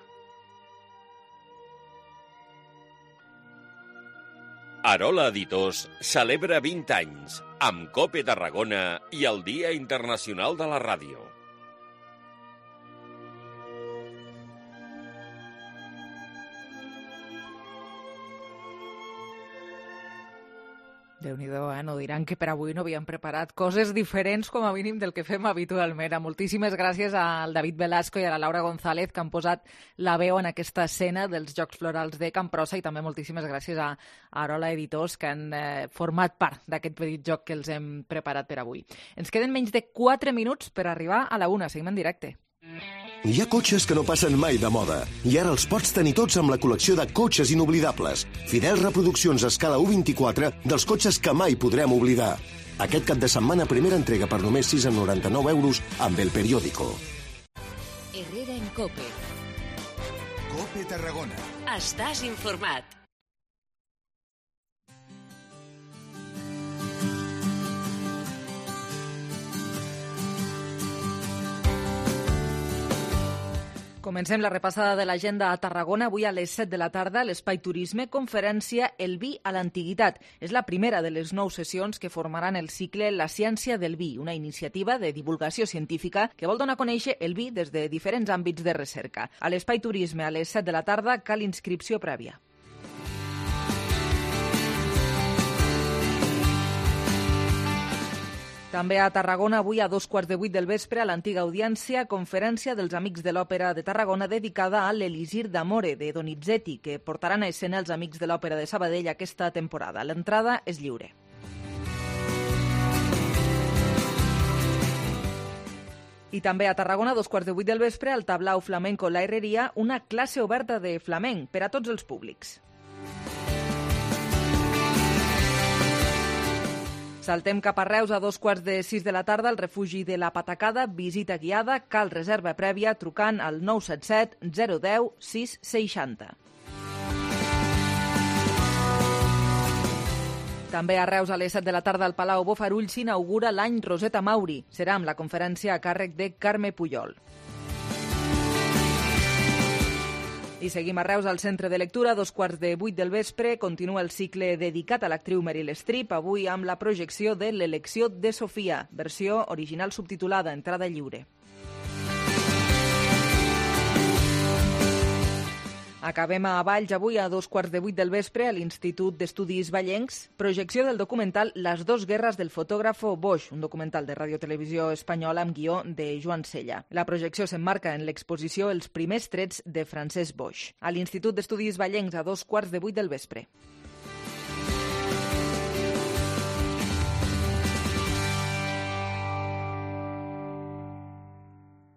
Arola Editors celebra 20 anys amb COPE Tarragona i el Dia Internacional de la Ràdio. Déu-n'hi-do, no diran que per avui no havíem preparat coses diferents com a mínim del que fem habitualment. Moltíssimes gràcies al David Velasco i a la Laura González que han posat la veu en aquesta escena dels Jocs Florals de Camprosa, i també moltíssimes gràcies a Arola Editors que han format part d'aquest petit joc que els hem preparat per avui. Ens queden menys de 4 minuts per arribar a la 1. Seguim en directe. Hi ha cotxes que no passen mai de moda i ara els pots tenir tots amb la col·lecció de cotxes inoblidables. Fidels reproduccions a escala 1/24 dels cotxes que mai podrem oblidar. Aquest cap de setmana, primera entrega per només 6,99 € amb El Periódico. Herrera en COPE. COPE Tarragona. Estàs informat. Comencem la repassada de l'agenda a Tarragona. Avui a les 7 de la tarda, l'Espai Turisme, conferència El vi a l'antiguitat. És la primera de les 9 sessions que formaran el cicle La ciència del vi, una iniciativa de divulgació científica que vol donar a conèixer el vi des de diferents àmbits de recerca. A l'Espai Turisme, a les 7 de la tarda, cal inscripció prèvia. També a Tarragona, avui a 7:15 del vespre, a l'antiga audiència, conferència dels Amics de l'Òpera de Tarragona dedicada a l'Elisir d'Amore, de Donizetti, que portaran a escena els Amics de l'Òpera de Sabadell aquesta temporada. L'entrada és lliure. I també a Tarragona, a 7:15 del vespre, al Tablau Flamenco La Herreria, una classe oberta de flamenc per a tots els públics. Saltem cap a Reus a 5:15 de la tarda, al refugi de la Patacada, visita guiada, cal reserva prèvia trucant al 977 010 660. També a Reus a les 7 de la tarda al Palau Bofarull s'inaugura l'any Roseta Mauri. Serà amb la conferència a càrrec de Carme Pujol. I seguim a Reus al Centre de Lectura, a 7:15 del vespre. Continua el cicle dedicat a l'actriu Meryl Streep, avui amb la projecció de L'elecció de Sofia, versió original subtitulada, entrada lliure. Acabem a Valls avui a 7:15 del vespre a l'Institut d'Estudis Vallencs, projecció del documental Les dos guerres del fotògrafo Bosch, un documental de Radiotelevisió Espanyola amb guió de Joan Sella. La projecció s'emmarca en l'exposició Els primers trets de Francesc Bosch. A l'Institut d'Estudis Vallencs a 7:15 del vespre.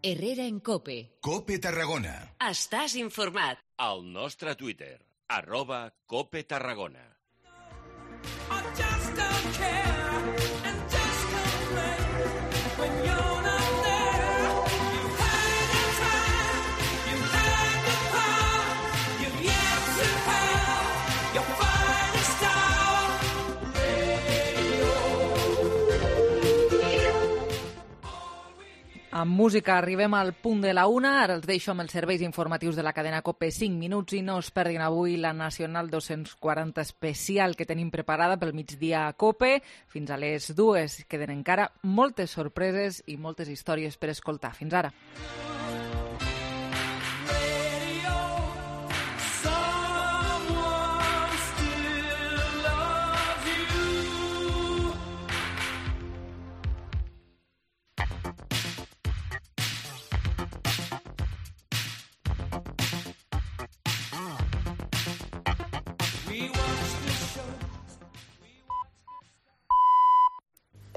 Herrera en COPE. COPE Tarragona. Estàs informat. Al nostre Twitter, @COPE Tarragona. Amb música arribem al punt de la 1. Ara els deixo amb els serveis informatius de la cadena COPE 5 minuts i no us perdin avui la Nacional 240 especial que tenim preparada pel migdia a COPE. Fins a les 2 queden encara moltes sorpreses i moltes històries per escoltar. Fins ara.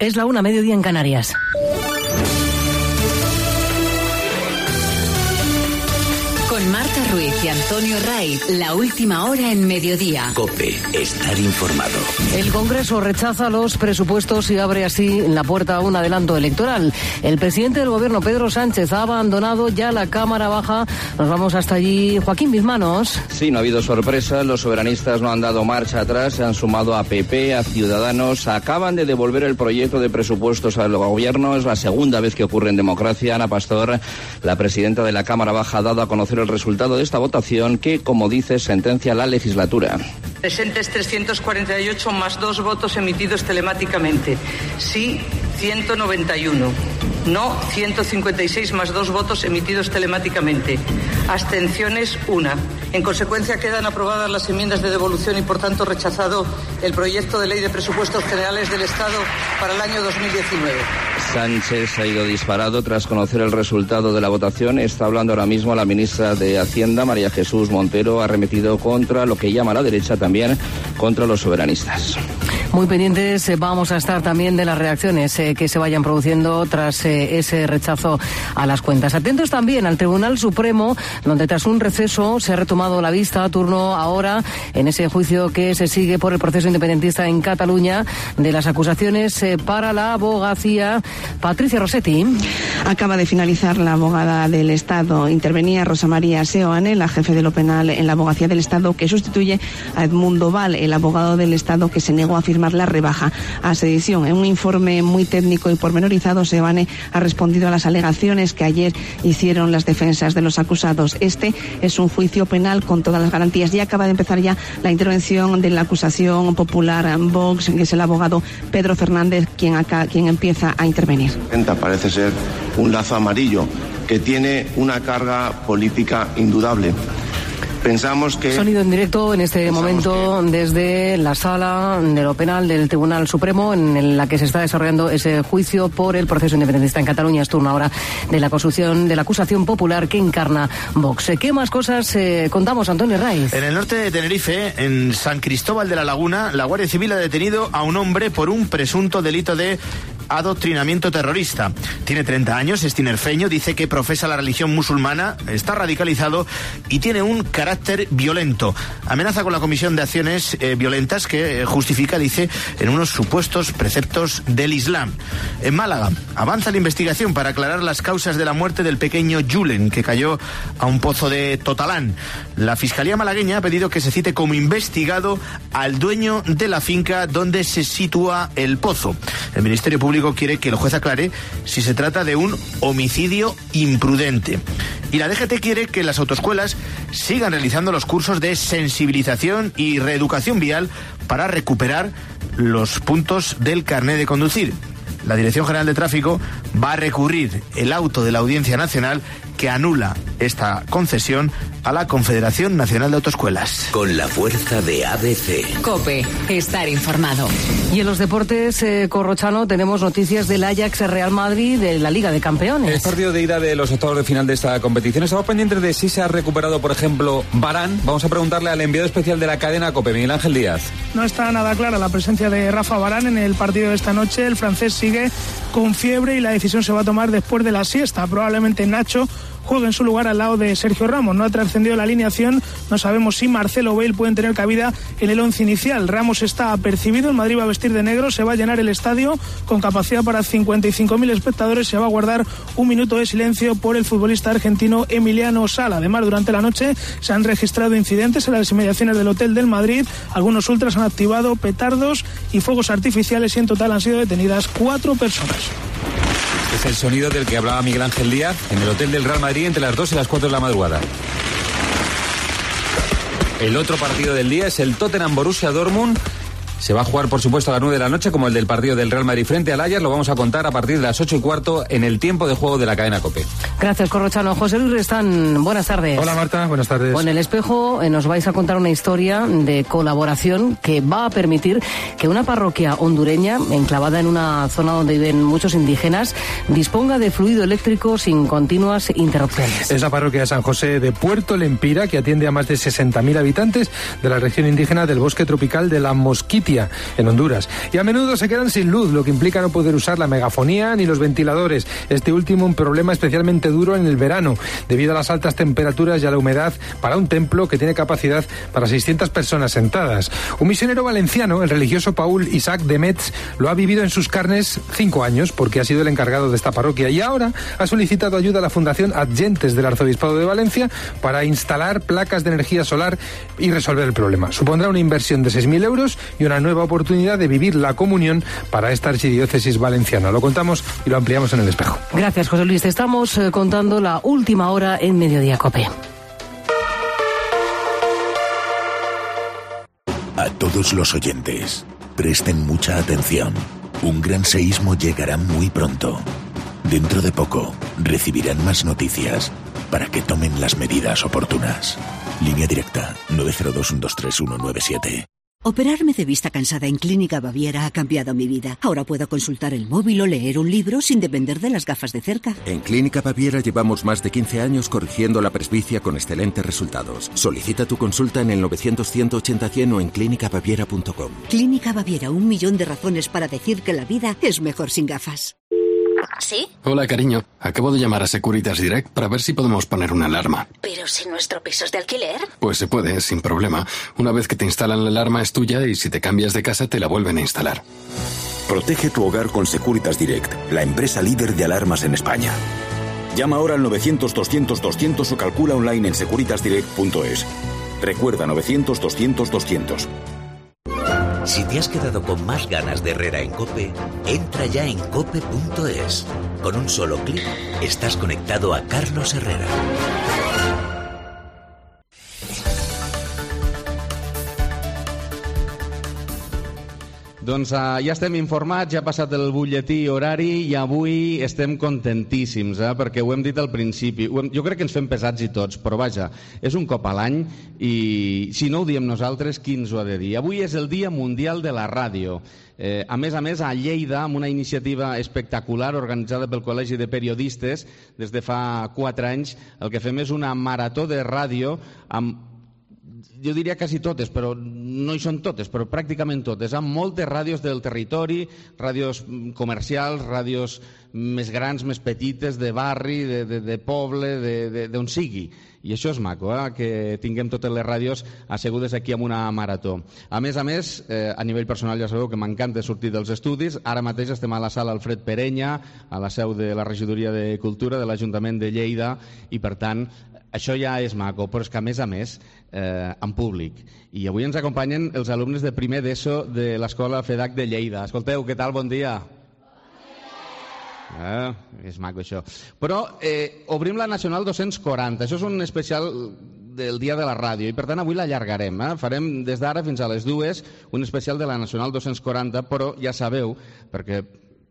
Es la 1:00, mediodía en Canarias. Con Marta Ruiz y Antonio Raiz, la última hora en mediodía. COPE, estar informado. El Congreso rechaza los presupuestos y abre así la puerta a un adelanto electoral. El presidente del Gobierno, Pedro Sánchez, ha abandonado ya la Cámara Baja. Nos vamos hasta allí. Joaquín Bizmanos. Sí, no ha habido sorpresa. Los soberanistas no han dado marcha atrás. Se han sumado a PP, a Ciudadanos. Acaban de devolver el proyecto de presupuestos al Gobierno. Es la segunda vez que ocurre en democracia. Ana Pastor, la presidenta de la Cámara Baja, ha dado a conocer el resultado de esta votación que, como dice, sentencia la legislatura. Presentes 348 más 2 votos emitidos telemáticamente. Sí, 191. No, 156 más 2 votos emitidos telemáticamente. Abstenciones, 1. En consecuencia, quedan aprobadas las enmiendas de devolución y, por tanto, rechazado el proyecto de ley de presupuestos generales del Estado para el año 2019. Sánchez ha ido disparado tras conocer el resultado de la votación. Está hablando ahora mismo la ministra de Hacienda, María Jesús Montero. Ha arremetido contra lo que llama la derecha, también contra los soberanistas. Muy pendientes vamos a estar también de las reacciones que se vayan produciendo tras ese rechazo a las cuentas. Atentos también al Tribunal Supremo, donde tras un receso se ha retomado la vista, turno ahora en ese juicio que se sigue por el proceso independentista en Cataluña de las acusaciones para la abogacía. Patricia Rossetti. Acaba de finalizar la abogada del Estado. Intervenía Rosa María Seoane, la jefe de lo penal en la abogacía del Estado, que sustituye a Edmundo Val, el abogado del Estado que se negó a firmar la rebaja a sedición. En un informe muy técnico y pormenorizado, Seoane ha respondido a las alegaciones que ayer hicieron las defensas de los acusados. Este es un juicio penal con todas las garantías. Ya acaba de empezar ya la intervención de la acusación popular Vox, que es el abogado Pedro Fernández, quien empieza a intervenir. Parece ser un lazo amarillo que tiene una carga política indudable. Pensamos que... Sonido en directo en este momento desde la sala de lo penal del Tribunal Supremo, en la que se está desarrollando ese juicio por el proceso independentista en Cataluña. Es turno ahora de la acusación popular que encarna Vox. ¿Qué más cosas contamos, Antonio Raiz? En el norte de Tenerife, en San Cristóbal de la Laguna, la Guardia Civil ha detenido a un hombre por un presunto delito de adoctrinamiento terrorista. Tiene 30 años, es tinerfeño, dice que profesa la religión musulmana, está radicalizado y tiene un carácter violento. Amenaza con la comisión de acciones violentas que justifica, dice, en unos supuestos preceptos del Islam. En Málaga, avanza la investigación para aclarar las causas de la muerte del pequeño Julen, que cayó a un pozo de Totalán. La Fiscalía malagueña ha pedido que se cite como investigado al dueño de la finca donde se sitúa el pozo. El Ministerio Público quiere que el juez aclare si se trata de un homicidio imprudente. Y la DGT quiere que las autoescuelas sigan realizando los cursos de sensibilización y reeducación vial para recuperar los puntos del carné de conducir. La Dirección General de Tráfico va a recurrir el auto de la Audiencia Nacional que anula esta concesión a la Confederación Nacional de Autoescuelas. Con la fuerza de ABC. COPE, estar informado. Y en los deportes, Corrochano, tenemos noticias del Ajax Real Madrid de la Liga de Campeones. El partido de ida de los octavos de final de esta competición. Estamos pendientes de si se ha recuperado, por ejemplo, Varane. Vamos a preguntarle al enviado especial de la cadena COPE, Miguel Ángel Díaz. No está nada clara la presencia de Rafa Varane en el partido de esta noche. El francés sigue con fiebre y la decisión se va a tomar después de la siesta. Probablemente Nacho juega en su lugar al lado de Sergio Ramos. No ha trascendido la alineación, no sabemos si Marcelo o Bale pueden tener cabida en el once inicial. Ramos está apercibido, el Madrid va a vestir de negro, se va a llenar el estadio con capacidad para 55.000 espectadores, se va a guardar un minuto de silencio por el futbolista argentino Emiliano Sala. Además, durante la noche se han registrado incidentes en las inmediaciones del Hotel del Madrid, algunos ultras han activado petardos y fuegos artificiales y en total han sido detenidas 4 personas. Es el sonido del que hablaba Miguel Ángel Díaz en el Hotel del Real Madrid entre las 2 y las 4 de la madrugada. El otro partido del día es el Tottenham-Borussia Dortmund. Se va a jugar, por supuesto, a las 9 de la noche, como el del partido del Real Madrid frente al Ajax. Lo vamos a contar a partir de las 8:15 en el tiempo de juego de la cadena COPE. Gracias, Corrochano. José Luis Restán, buenas tardes. Hola, Marta, buenas tardes. En El Espejo nos vais a contar una historia de colaboración que va a permitir que una parroquia hondureña, enclavada en una zona donde viven muchos indígenas, disponga de fluido eléctrico sin continuas interrupciones. Es la parroquia de San José de Puerto Lempira, que atiende a más de 60.000 habitantes de la región indígena del bosque tropical de la Mosquitia. sequía en Honduras. Y a menudo se quedan sin luz, lo que implica no poder usar la megafonía ni los ventiladores. Este último un problema especialmente duro en el verano, debido a las altas temperaturas y a la humedad para un templo que tiene capacidad para 600 personas sentadas. Un misionero valenciano, el religioso Paul Isaac de Metz, lo ha vivido en sus carnes 5 años porque ha sido el encargado de esta parroquia y ahora ha solicitado ayuda a la Fundación Adgentes del Arzobispado de Valencia para instalar placas de energía solar y resolver el problema. Supondrá una inversión de 6.000 euros y una nueva oportunidad de vivir la comunión para esta archidiócesis valenciana. Lo contamos y lo ampliamos en El Espejo. Gracias, José Luis. Te estamos contando la última hora en Mediodía COPE. A todos los oyentes, presten mucha atención. Un gran seísmo llegará muy pronto. Dentro de poco, recibirán más noticias para que tomen las medidas oportunas. Línea directa 902-123-197. Operarme de vista cansada en Clínica Baviera ha cambiado mi vida. Ahora puedo consultar el móvil o leer un libro sin depender de las gafas de cerca. En Clínica Baviera llevamos más de 15 años corrigiendo la presbicia con excelentes resultados. Solicita tu consulta en el 900-180-100 o en clínicabaviera.com. Clínica Baviera, 1 millón de razones para decir que la vida es mejor sin gafas. ¿Sí? Hola, cariño. Acabo de llamar a Securitas Direct para ver si podemos poner una alarma. ¿Pero si nuestro piso es de alquiler? Pues se puede, sin problema. Una vez que te instalan la alarma es tuya y si te cambias de casa te la vuelven a instalar. Protege tu hogar con Securitas Direct, la empresa líder de alarmas en España. Llama ahora al 900-200-200 o calcula online en securitasdirect.es. Recuerda 900-200-200. Si te has quedado con más ganas de Herrera en COPE, entra ya en cope.es. Con un solo clic, estás conectado a Carlos Herrera. Doncs ja estem informats, ja ha passat el butlletí horari i avui estem contentíssims, perquè ho hem dit al principi. Jo crec que ens fem pesats i tots, però vaja, és un cop a l'any i si no ho diem nosaltres, qui ens ho ha de dir? Avui és el Dia Mundial de la Ràdio. A més, a Lleida, amb una iniciativa espectacular organitzada pel Col·legi de Periodistes, des de fa 4 anys, el que fem és una marató de ràdio amb, jo diria quasi totes, però no hi són totes, però pràcticament totes, amb moltes ràdios del territori, ràdios comercials, ràdios més grans, més petites, de barri, de poble, d'on sigui. I això és maco, que tinguem totes les ràdios assegudes aquí amb una marató. A més, a nivell personal ja sabeu que m'encanta sortir dels estudis. Ara mateix estem a la sala Alfred Perenya, a la seu de la Regidoria de Cultura de l'Ajuntament de Lleida, i per tant això ja és maco, però és que a més, en públic. I avui ens acompanyen els alumnes de primer d'ESO de l'Escola FEDAC de Lleida. Escolteu, què tal? Bon dia. És maco això. Però obrim la Nacional 240. Això és un especial del Dia de la Ràdio i per tant avui l'allargarem. Farem des d'ara fins a les 2 un especial de la Nacional 240, però ja sabeu, perquè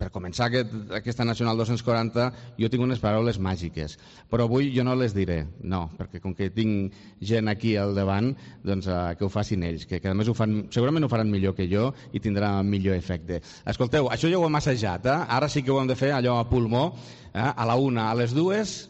per començar aquesta Nacional 240 jo tinc unes paraules màgiques, però avui jo no les diré, no, perquè com que tinc gent aquí al davant, doncs que ho facin ells, que a més segurament ho faran millor que jo i tindrà millor efecte. Escolteu, això ja ho hem assajat, ara sí que ho hem de fer allò a pulmó, a la 1, a les 2...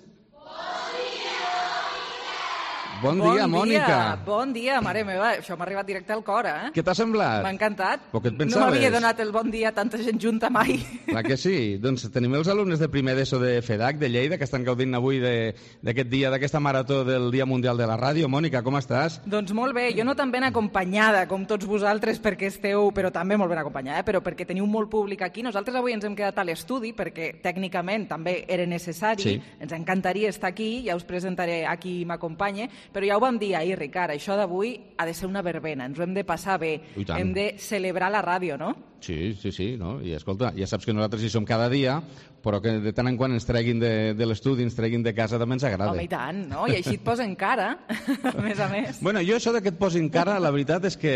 Bon dia, Mònica. Bon dia, mare meva. Això m'ha arribat directe al cor, Què t'ha semblat? M'ha encantat. Però què et pensaves? No m'havia donat el bon dia a tanta gent junta mai. Clar que sí. Doncs tenim els alumnes de primer d'ESO de FEDAC, de Lleida, que estan gaudint avui d'aquest dia, d'aquesta marató del Dia Mundial de la Ràdio. Mònica, com estàs? Doncs molt bé. Jo no tan ben acompanyada com tots vosaltres perquè esteu, però també molt ben acompanyada, però perquè teniu molt públic aquí. Nosaltres avui ens hem quedat a l'estudi perquè tècnicament també era necessari. Sí. Ens encantaria estar aquí, ja us presentaré a qui m'acompanya, però ja ho vam dir ahir, Ricard, això d'avui ha de ser una verbena, ens ho hem de passar bé, hem de celebrar la ràdio, no? Sí, no? I escolta, ja saps que nosaltres hi som cada dia, però que de tant en quant ens treguin de l'estudi, ens treguin de casa, també ens agrada. Home, i tant, no? I així et posen cara, a més. Bueno, jo això que et posin cara, la veritat és que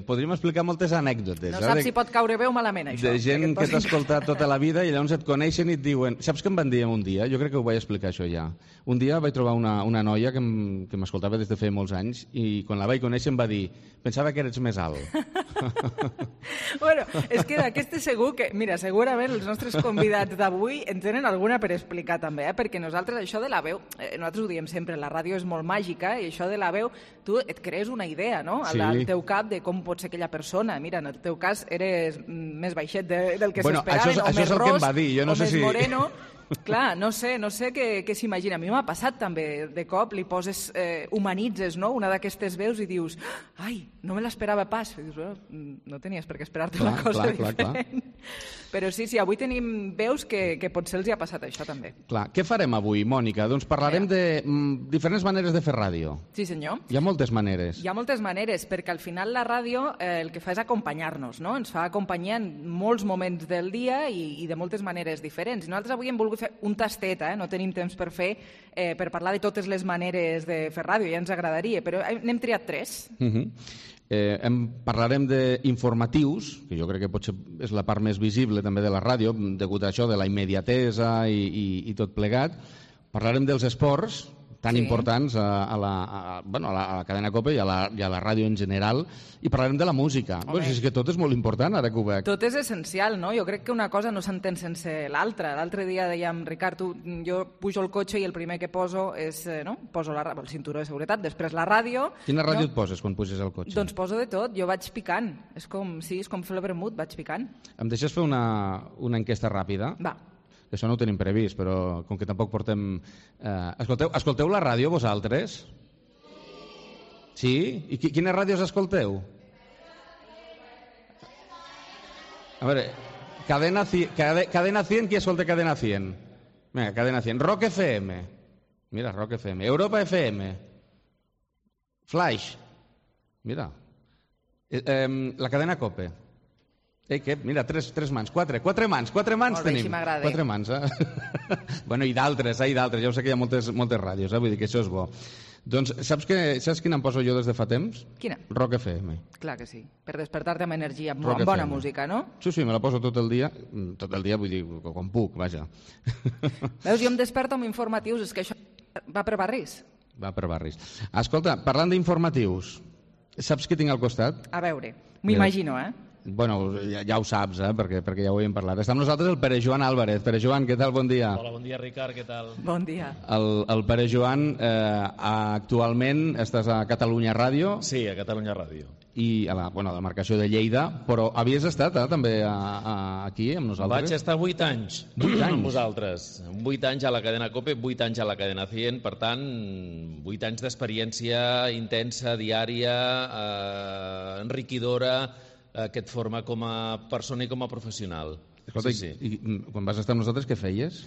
podríem explicar moltes anècdotes. No saps si pot caure bé o malament, això. De gent que t'ha escoltat tota la vida i llavors et coneixen i et diuen... Saps què em van dir un dia? Jo crec que ho vaig explicar, això ja. Un dia vaig trobar una noia que m'escoltava des de feia molts anys i quan la vaig conèixer em va dir pensava que eres més alt. Bueno, és que d'aquestes segur que... Mira, segurament els nostres convidats d'avui en tenen alguna per explicar també, perquè nosaltres això de la veu, nosaltres ho diem sempre, la ràdio és molt màgica i això de la veu, tu et crees una idea, no? Al teu cap de com pot ser aquella persona. Mira, en el teu cas eres més baixet del que s'esperaven, o més ros, o més moreno... Clar, no sé què s'imagina. A mi m'ha passat també, de cop li poses, humanitzes, no?, una d'aquestes veus i dius, ai, no me l'esperava pas. I dius, no tenies per què esperar-te una cosa diferent. Però sí, avui tenim veus que potser els hi ha passat això també. Clar, què farem avui, Mònica? Doncs parlarem de diferents maneres de fer ràdio. Sí, senyor. Hi ha moltes maneres. Hi ha moltes maneres, perquè al final la ràdio el que fa és acompanyar-nos, no? Ens fa acompanyar en molts moments del dia i de moltes maneres diferents. I nosaltres avui hem volgut fer un tastet, no tenim temps per fer, per parlar de totes les maneres de fer ràdio, ja ens agradaria, però n'hem triat 3. Parlarem d'informatius, que jo crec que potser és la part més visible també de la ràdio, degut a això de la immediatesa i tot plegat. Parlarem dels esports, tan importants a la cadena COPE i a la ràdio en general, i parlarem de la música. És que tot és molt important, ara que ho veig. Tot és essencial, no? Jo crec que una cosa no s'entén sense l'altra. L'altre dia dèiem, Ricard, jo pujo al cotxe i el primer que poso és, poso el cinturó de seguretat, després la ràdio... Quina ràdio et poses quan puges al cotxe? Doncs poso de tot, jo vaig picant. És com fer el vermut, vaig picant. Em deixes fer una enquesta ràpida? Va. Això no ho tenim previst, però com que tampoc portem... Escolteu la ràdio, vosaltres? Sí? I quines ràdios escolteu? A veure, Cadena 100, qui escolta Cadena 100? Vinga, Cadena 100. Rock FM. Mira, Rock FM. Europa FM. Flash. Mira. La cadena COPE. Mira, tres mans, quatre mans tenim. Molt bé, així m'agrada. 4 mans, Bueno, i d'altres, ja ho sé que hi ha moltes ràdios, vull dir que això és bo. Doncs saps quina em poso jo des de fa temps? Quina? Rock FM. Clar que sí, per despertar-te amb energia, amb bona música, no? Sí, me la poso tot el dia, vull dir, quan puc, vaja. Veus, jo em desperto amb informatius, és que això va per barris. Va per barris. Escolta, parlant d'informatius, saps què tinc al costat? A veure, m'imagino, Bueno, ja ho saps, perquè ja ho hem parlat. Està amb nosaltres el Pere Joan Álvarez. Pere Joan, què tal? Bon dia. Hola, bon dia, Ricard, què tal? Bon dia. El Pere Joan, actualment estàs a Catalunya Ràdio. Sí, a Catalunya Ràdio. I a la demarcació de Lleida, però havies estat també aquí amb nosaltres? Vaig estar 8 anys. 8 anys? Amb vosaltres. 8 anys a la cadena COPE, 8 anys a la cadena 100, per tant, 8 anys d'experiència intensa, diària, enriquidora, que et forma com a persona i com a professional. Escolta, sí. I quan vas estar amb nosaltres, què feies?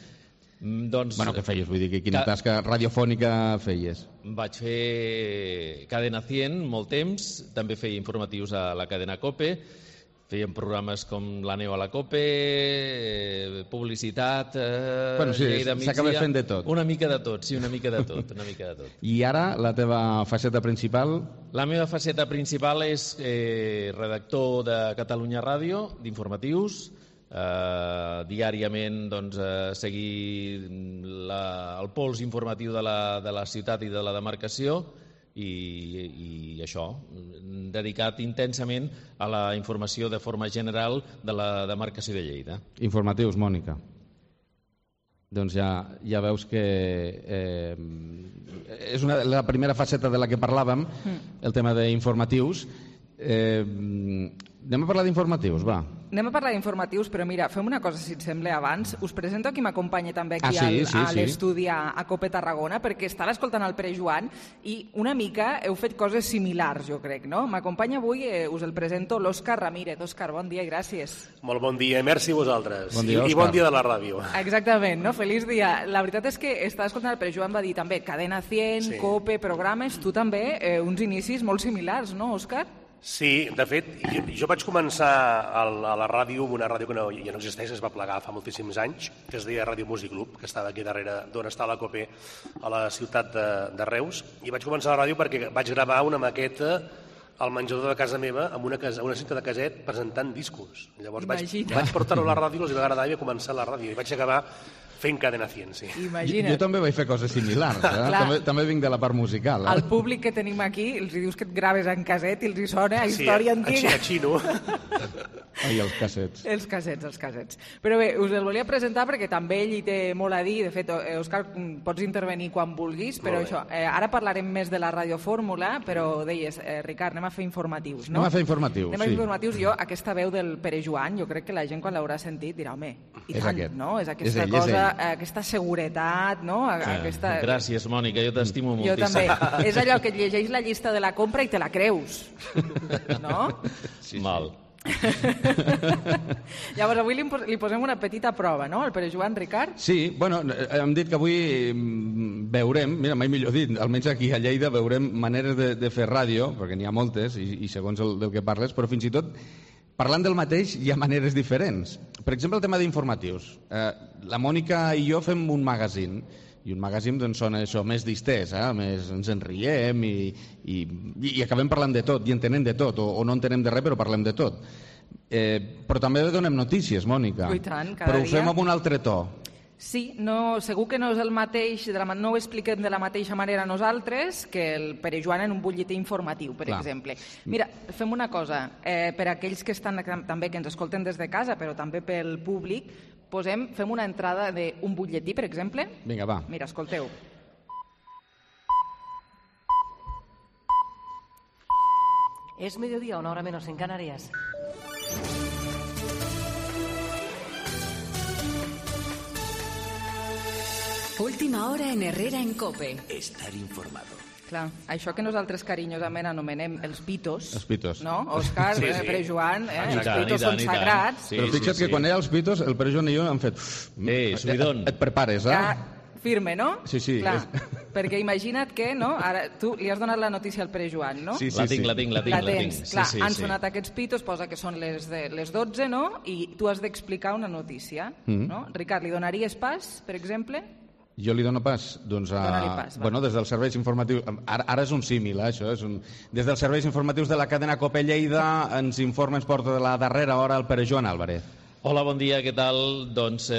Doncs... Bueno, què feies? Vull dir, quina tasca radiofònica feies? Vaig fer Cadena 100 molt temps, també feia informatius a la cadena COPE, fèiem programes com La neu a la COPE, publicitat... Bueno, sí, s'acaba fent de tot. Una mica de tot, sí, una mica de tot. I ara, la teva faceta principal? La meva faceta principal és redactor de Catalunya Ràdio, d'informatius, diàriament seguir el pols informatiu de la ciutat i de la demarcació, i això, dedicat intensament a la informació de forma general de la demarcació de Lleida. Informatius, Mònica. Doncs ja veus que és la primera faceta de la que parlàvem, el tema d'informatius. Anem a parlar d'informatius, va. Anem a parlar d'informatius, però mira, fem una cosa, si et sembla, abans. Us presento qui m'acompanya també aquí a l'estudi a COPE Tarragona, perquè estava escoltant el Pere Joan i una mica heu fet coses similars, jo crec, no? M'acompanya avui, us el presento, l'Òscar Ramírez. Òscar, bon dia i gràcies. Molt bon dia, merci a vosaltres. Bon dia, I bon dia de la ràdio. Exactament, no? Feliç dia. La veritat és que estava escoltant el Pere Joan, va dir també Cadena 100, COPE, programes, tu també, uns inicis molt similars, no, Òscar? Sí, de fet, jo vaig començar a la ràdio, una ràdio que ja no existeix, es va plegar fa moltíssims anys, que es deia Ràdio Músic Club, que estava aquí darrere d'on està la COPE, a la ciutat de Reus, i vaig començar la ràdio perquè vaig gravar una maqueta al menjador de casa meva amb una cinta de caset presentant discos. Llavors vaig portar-ho a la ràdio, els va agradar i vaig començar la ràdio, i vaig acabar fent Cadena 100, sí. Imagina't. Jo també vaig fer coses similars, també vinc de la part musical. El públic que tenim aquí, els dius que et graves en caset i els hi sona a història antiga. Sí, a xino. Ai, els cassets. Els cassets. Però bé, us el volia presentar perquè també ell hi té molt a dir. De fet, Òscar, pots intervenir quan vulguis, però això, ara parlarem més de la radiofórmula, però deies, Ricard, anem a fer informatius, no? Anem a fer informatius, Anem a fer informatius. Jo, aquesta veu del Pere Joan, jo crec que la gent quan l'haurà sentit dirà, home, i és tant, aquest. no? És aquesta cosa, aquesta seguretat, no? Aquesta... Gràcies, Mònica, jo t'estimo moltíssim. Jo també. És allò que et llegeix la llista de la compra i te la creus, no? Sí. Mal. Llavors avui li posem una petita prova, no? El Pere Joan, Ricard? Sí, bueno, hem dit que avui veurem, mira, mai millor dit, almenys aquí a Lleida veurem maneres de fer ràdio, perquè n'hi ha moltes i segons del que parles, però fins i tot parlant del mateix hi ha maneres diferents. Per exemple, el tema d'informatius. La Mònica i jo fem un magazine, i un magazine doncs, són això, més distès, més ens en riem i acabem parlant de tot i entenem de tot, o no entenem de res però parlem de tot. Però també donem notícies, Mònica. I tant, cada però ho fem dia. amb un altre to. Sí, no, segur que no és el mateix, no ho expliquem de la mateixa manera nosaltres que el Pere Joan en un butlletí informatiu, per exemple. Mira, fem una cosa, per aquells que estan també que ens escolten des de casa, però també pel públic, fem una entrada d'un butlletí, per exemple. Vinga, va. Mira, escolteu. Es mediodía, una hora menos en Canarias. Última hora en Herrera en COPE. Estar informado. Clar, això que nosaltres carinyosament anomenem els pitos, els pitos. No? Òscar, sí. Pere Joan, els pitos són sagrats. Sí, però fixa't que quan hi ha els pitos, el Pere Joan i jo hem fet... subidon. Et prepares, eh? Firme, no? Sí. Clar, perquè imagina't que, no? Ara, tu li has donat la notícia al Pere Joan, no? Sí. La tinc. La tens. Clar, han sonat aquests pitos, posa que són les 12, no? I tu has d'explicar una notícia, no? Ricard, li donaries pas, per exemple? Jo li dono pas? Doncs bueno, des dels serveis informatius... Ara és un símil, això. Des dels serveis informatius de la cadena COPE Lleida ens porta de la darrera hora el Pere Joan Álvarez. Hola, bon dia, què tal? Doncs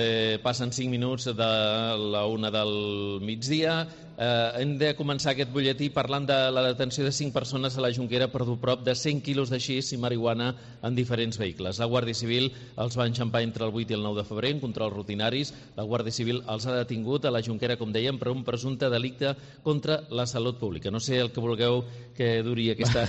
passen 5 minuts de la 1 del migdia. Hem de començar aquest butlletí parlant de la detenció de 5 persones a la Jonquera per dur prop de 100 quilos de xis i marihuana en diferents vehicles. La Guàrdia Civil els va enxampar entre el 8 i el 9 de febrer en controls rutinaris. La Guàrdia Civil els ha detingut a la Jonquera, com dèiem, per un presumpte delicte contra la salut pública. No sé el que vulgueu que duri aquesta...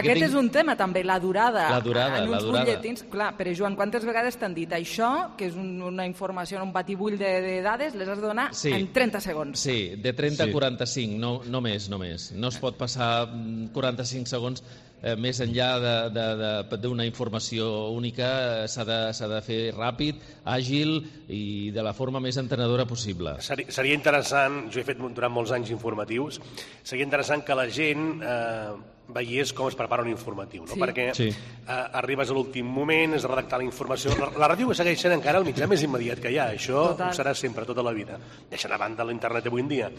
Aquest és un tema també, la durada. La durada. En uns butlletins, clar, Pere Joan, quantes vegades t'han dit això, que és una informació, un batibull de dades, les has de donar en 30 segons. Sí, de 30 a 45, no més. No es pot passar 45 segons més enllà d'una informació única. S'ha de fer ràpid, àgil i de la forma més entenedora possible. Seria interessant, jo he fet durant molts anys informatius, seria interessant que la gent veiés com es prepara un informatiu, no? Perquè arribes a l'últim moment, has de redactar la informació. La ràdio segueix sent encara el mitjà més immediat que hi ha, això ho serà sempre, tota la vida, deixant a banda l'internet avui en dia.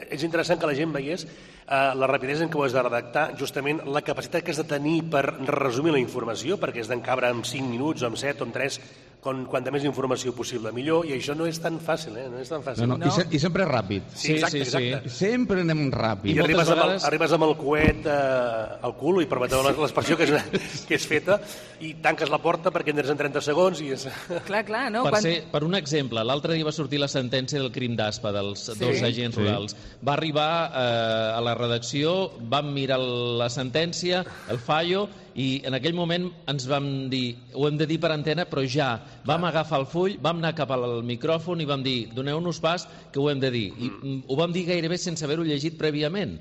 És interessant que la gent veiés la rapidesa en què ho has de redactar, justament la capacitat que has de tenir per resumir la informació, perquè has d'encabre en 5 minuts, o en 7, o en 3, quanta més informació possible millor, i això no és tan fàcil, no és tan fàcil. I sempre és ràpid. Sí, exacte. Sempre anem ràpid. I arribes amb el coet al cul, i permeteu l'expressió que és feta, i tanques la porta perquè entres en 30 segons i és... Clar, no? Per un exemple, l'altre dia va sortir la sentència del crim d'Aspa dels 2 agents rurals. Va arribar a la redacció, vam mirar la sentència, el fallo, i en aquell moment ens vam dir, ho hem de dir per antena, però ja vam agafar el full, vam anar cap al micròfon i vam dir, doneu-nos pas que ho hem de dir. I ho vam dir gairebé sense haver-ho llegit prèviament.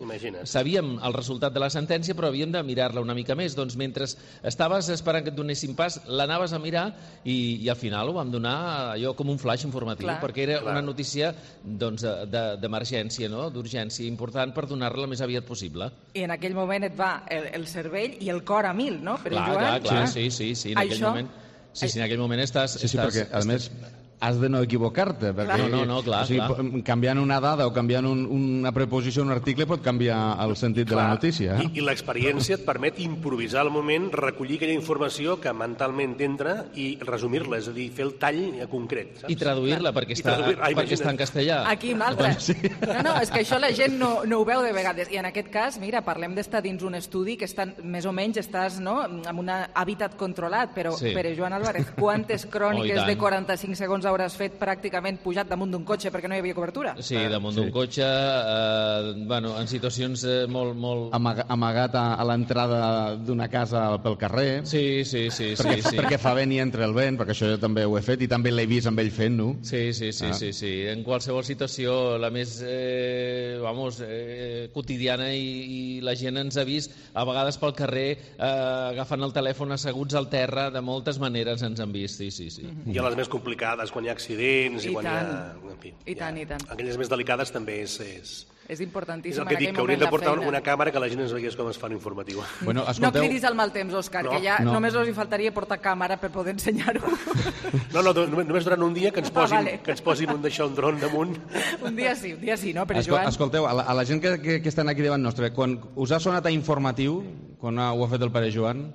Sabíem el resultat de la sentència, però havíem de mirar-la una mica més. Doncs mentre estaves esperant que et donessin pas, l'anaves a mirar i al final ho vam donar allò com un flash informatiu, perquè era una notícia d'emergència, d'urgència important per donar-la el més aviat possible. I en aquell moment et va el cervell i el cor a mil, no? Clar, sí, en aquell moment... Sí, en aquell moment estàs... Sí, perquè, a més, has de no equivocar-te. Clar. Canviant una dada o canviant una preposició en un article pot canviar el sentit de la notícia. I l'experiència et permet improvisar al moment, recollir aquella informació que mentalment entra i resumir-la, és a dir, fer el tall concret. I traduir-la, perquè està en castellà. Aquí un altre. No, és que això la gent no ho veu de vegades. I en aquest cas, mira, parlem d'estar dins un estudi que més o menys estàs en un hàbitat controlat, però Joan Álvarez, quantes cròniques de 45 segons hauràs fet pràcticament pujat damunt d'un cotxe perquè no hi havia cobertura? Sí, damunt d'un cotxe, en situacions molt... Amagat a l'entrada d'una casa pel carrer. Sí. Perquè fa vent i entra el vent, perquè això jo també ho he fet i també l'he vist amb ell fent-ho. Sí. En qualsevol situació, la més quotidiana, i la gent ens ha vist a vegades pel carrer agafant el telèfon asseguts al terra, de moltes maneres ens han vist, sí. I a les més complicades, quan hi ha accidents i quan hi ha... I tant. Aquelles més delicades també és importantíssim en aquell moment de feina. És el que dic, que hauríem de portar una càmera que la gent ens veiés com es fa l'informatiu. No cridis al mal temps, Òscar, que ja només us hi faltaria portar càmera per poder ensenyar-ho. Només durant un dia que ens posin un d'això, un dron damunt. Un dia sí, no? Però Joan... Escolteu, a la gent que estan aquí davant nostre, quan us ha sonat a informatiu, quan ho ha fet el pare Joan,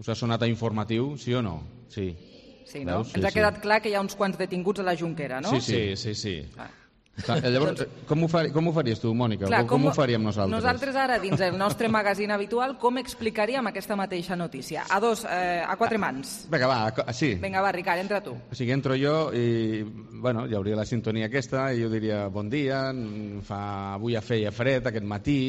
us ha sonat a informatiu, sí o no? Sí. Sí, no? Ens ha quedat clar que hi ha uns quants detinguts a la Junquera, no? Sí. Llavors, com ho faries tu, Mònica? Com ho faríem nosaltres? Nosaltres ara, dins el nostre magazín habitual, com explicaríem aquesta mateixa notícia? A quatre mans. Vinga, va, sí. Vinga, va, Ricard, entra tu. O sigui, entro jo i, hi hauria la sintonia aquesta i jo diria, bon dia, avui feia fred aquest matí,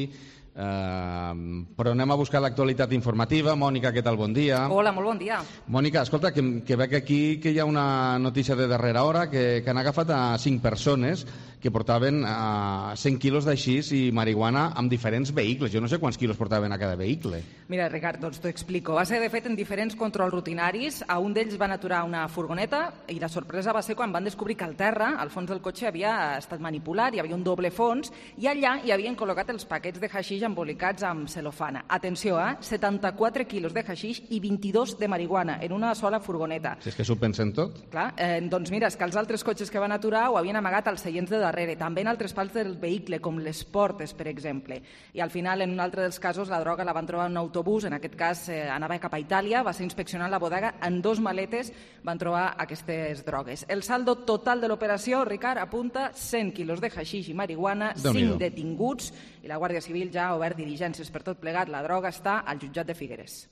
però anem a buscar l'actualitat informativa. Mònica, què tal? Bon dia. Hola, molt bon dia. Mònica, escolta, que veig aquí que hi ha una notícia de darrera hora que han agafat a 5 persones que portaven 100 quilos d'aixís i marihuana amb diferents vehicles. Jo no sé quants quilos portaven a cada vehicle. Mira, Ricard, doncs t'ho explico. Va ser, de fet, en diferents controls rutinaris. A un d'ells van aturar una furgoneta i la sorpresa va ser quan van descobrir que al terra, al fons del cotxe, havia estat manipulat, hi havia un doble fons i allà hi havien col·locat els paquets de haixix embolicats amb celofana. Atenció, 74 quilos de haixix i 22 de marihuana en una sola furgoneta. Si és que s'ho pensen tot. Clar, doncs mira, és que els altres cotxes que van aturar ho havien amagat als seients de darrere, també en altres parts del vehicle, com les portes, per exemple. I al final, en un altre dels casos, la droga la van trobar en un autobús, en aquest cas anava cap a Itàlia, va ser inspeccionant la bodega, en 2 maletes van trobar aquestes drogues. El saldo total de l'operació, Ricard, apunta 100 quilos de haixix i marihuana, 5 detinguts, i la Guàrdia Civil ja ha obert diligències per tot plegat. La droga està al jutjat de Figueres.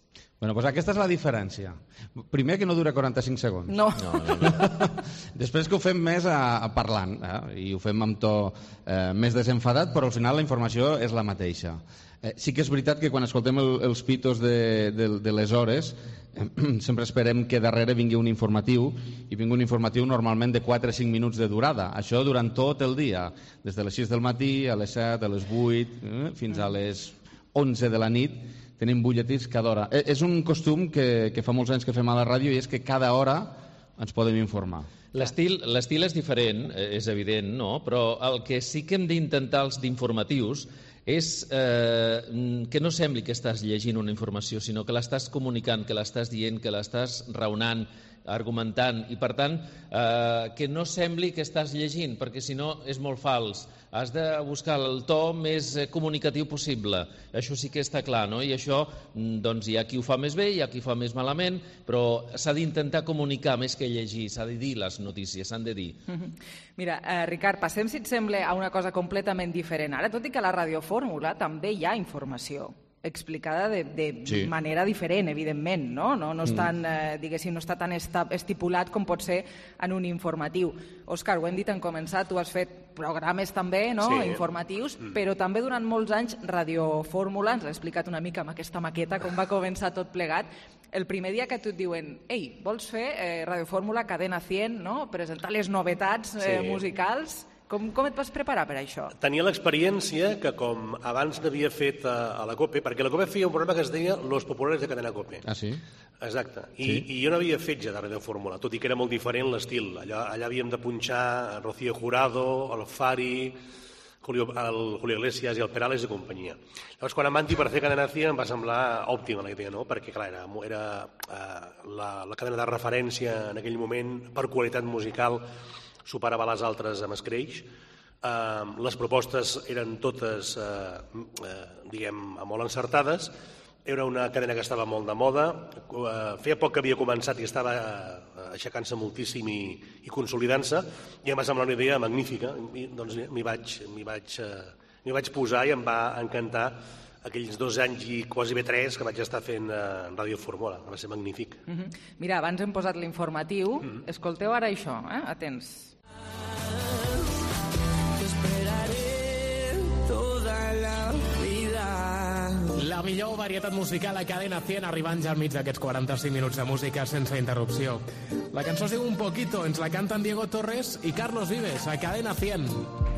Doncs aquesta és la diferència. Primer, que no dura 45 segons. No. Després que ho fem més parlant, i ho fem amb to més desenfadat, però al final la informació és la mateixa. Sí que és veritat que quan escoltem els pitos de les hores, sempre esperem que darrere vingui un informatiu, i vingui un informatiu normalment de 4 o 5 minuts de durada. Això durant tot el dia, des de les 6 del matí, a les 7, a les 8, fins a les 11 de la nit, tenim butlletins cada hora. És un costum que fa molts anys que fem a la ràdio, i és que cada hora ens podem informar. L'estil és diferent, és evident, no? Però el que sí que hem d'intentar els d'informatius és que no sembli que estàs llegint una informació, sinó que l'estàs comunicant, que l'estàs dient, que l'estàs raonant, argumentant, i per tant que no sembli que estàs llegint, perquè si no és molt fals. Has de buscar el to més comunicatiu possible. Això sí que està clar, no? I això, doncs, hi ha qui ho fa més bé, hi ha qui ho fa més malament, però s'ha d'intentar comunicar més que llegir, s'ha de dir les notícies, s'han de dir. Mira, Ricard, passem, si et sembla, a una cosa completament diferent. Ara, tot i que a la radiofórmula també hi ha informació explicada de manera diferent, evidentment, no? No és tan, diguéssim, no està tan estipulat com pot ser en un informatiu. Òscar, ho hem dit en començar, tu has fet programes també, no?, informatius, però també durant molts anys radiofórmula, ens l'ha explicat una mica amb aquesta maqueta com va començar tot plegat. El primer dia que tu et diuen, ei, vols fer radiofórmula, cadena 100, no?, presentar les novetats musicals. Com et vas preparar per això? Tenia l'experiència que, com abans n'havia fet a la COPE, perquè la COPE feia un programa que es deia Los Populares de Cadena COPE. Ah, sí? Exacte. I jo no havia fet ja de radiofórmula, tot i que era molt diferent l'estil. Allà havíem de punxar Rocío Jurado, el Fari, Julio Iglesias i el Perales i companyia. Llavors, quan em van dir per fer Cadena 100 em va semblar òptima la idea, no? Perquè, clar, era la cadena de referència en aquell moment, per qualitat musical, superava les altres amb escreix. Les propostes eren totes, diguem, molt encertades. Era una cadena que estava molt de moda. Feia poc que havia començat i estava aixecant-se moltíssim i consolidant-se, i em va semblar una idea magnífica. I, doncs m'hi vaig posar i em va encantar aquells 2 anys i quasi bé 3 que vaig estar fent Ràdio Fórmula. Va ser magnífic. Mira, abans hem posat l'informatiu. Escolteu ara això, atents. La millor varietat musical a Cadena 100, arribant ja al mig d'aquests 45 minuts de música sense interrupció. La cançó es diu Un Poquito, ens la canten Diego Torres i Carlos Vives a Cadena 100.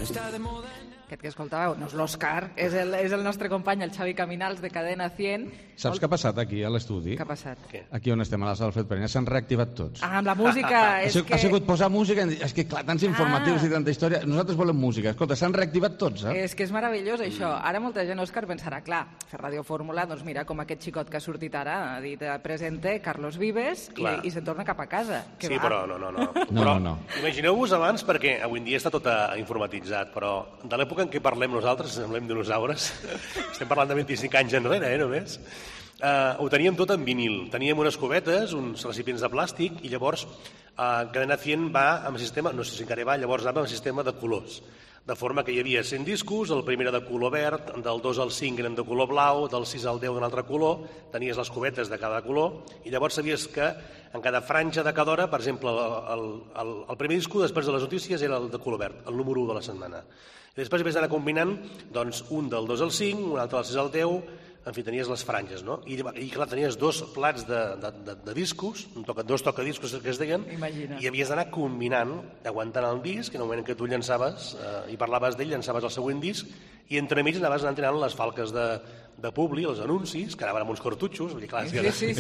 Està de moda. Aquest que escoltàveu no és l'Òscar, és el nostre company, el Xavi Caminals, de Cadena 100. Saps què ha passat aquí a l'estudi? Què ha passat? Aquí on estem, a la sala Alfred Pereña, s'han reactivat tots. Amb la música... Ha sigut posar música, és que clar, tants informatius i tanta història, nosaltres volem música. Escolta, s'han reactivat tots, És que és meravellós, això. Ara molta gent, Òscar, pensarà, clar, fer Ràdio Fórmula, doncs mira, com aquest xicot que ha sortit ara, ha dit presente Carlos Vives i se'n torna cap a casa. Sí, però no. Imagineu-vos abans, perquè avui en dia està tot informatitzat, però de l'època en què parlem nosaltres, semblem dinosaures, estem parlant de 25 anys enrere, només, ho teníem tot en vinil. Teníem unes cubetes, uns recipients de plàstic, i llavors Cadena 100 va amb sistema, no sé si encara va, llavors anava amb sistema de colors. De forma que hi havia 100 discos, el primer era de color verd, del 2 al 5 eren de color blau, del 6 al 10 d'un altre color, tenies les cubetes de cada color, i llavors sabies que en cada franja de cada hora, per exemple, el primer disco després de les notícies era el de color verd, el número 1 de la setmana. I després vas anar combinant doncs, un del 2 al 5, un altre del 6 al 10, en fi, tenies les franges, no? I clar, tenies 2 plats de discos, 2 tocadiscos que es deien, i havies d'anar combinant, aguantant el disc, en el moment en què tu llançaves i parlaves d'ell, llançaves el següent disc, i entremig anaves anant tirant les falques de publi, els anuncis, que anaven amb uns cartutxos. Vull dir, clar, sí.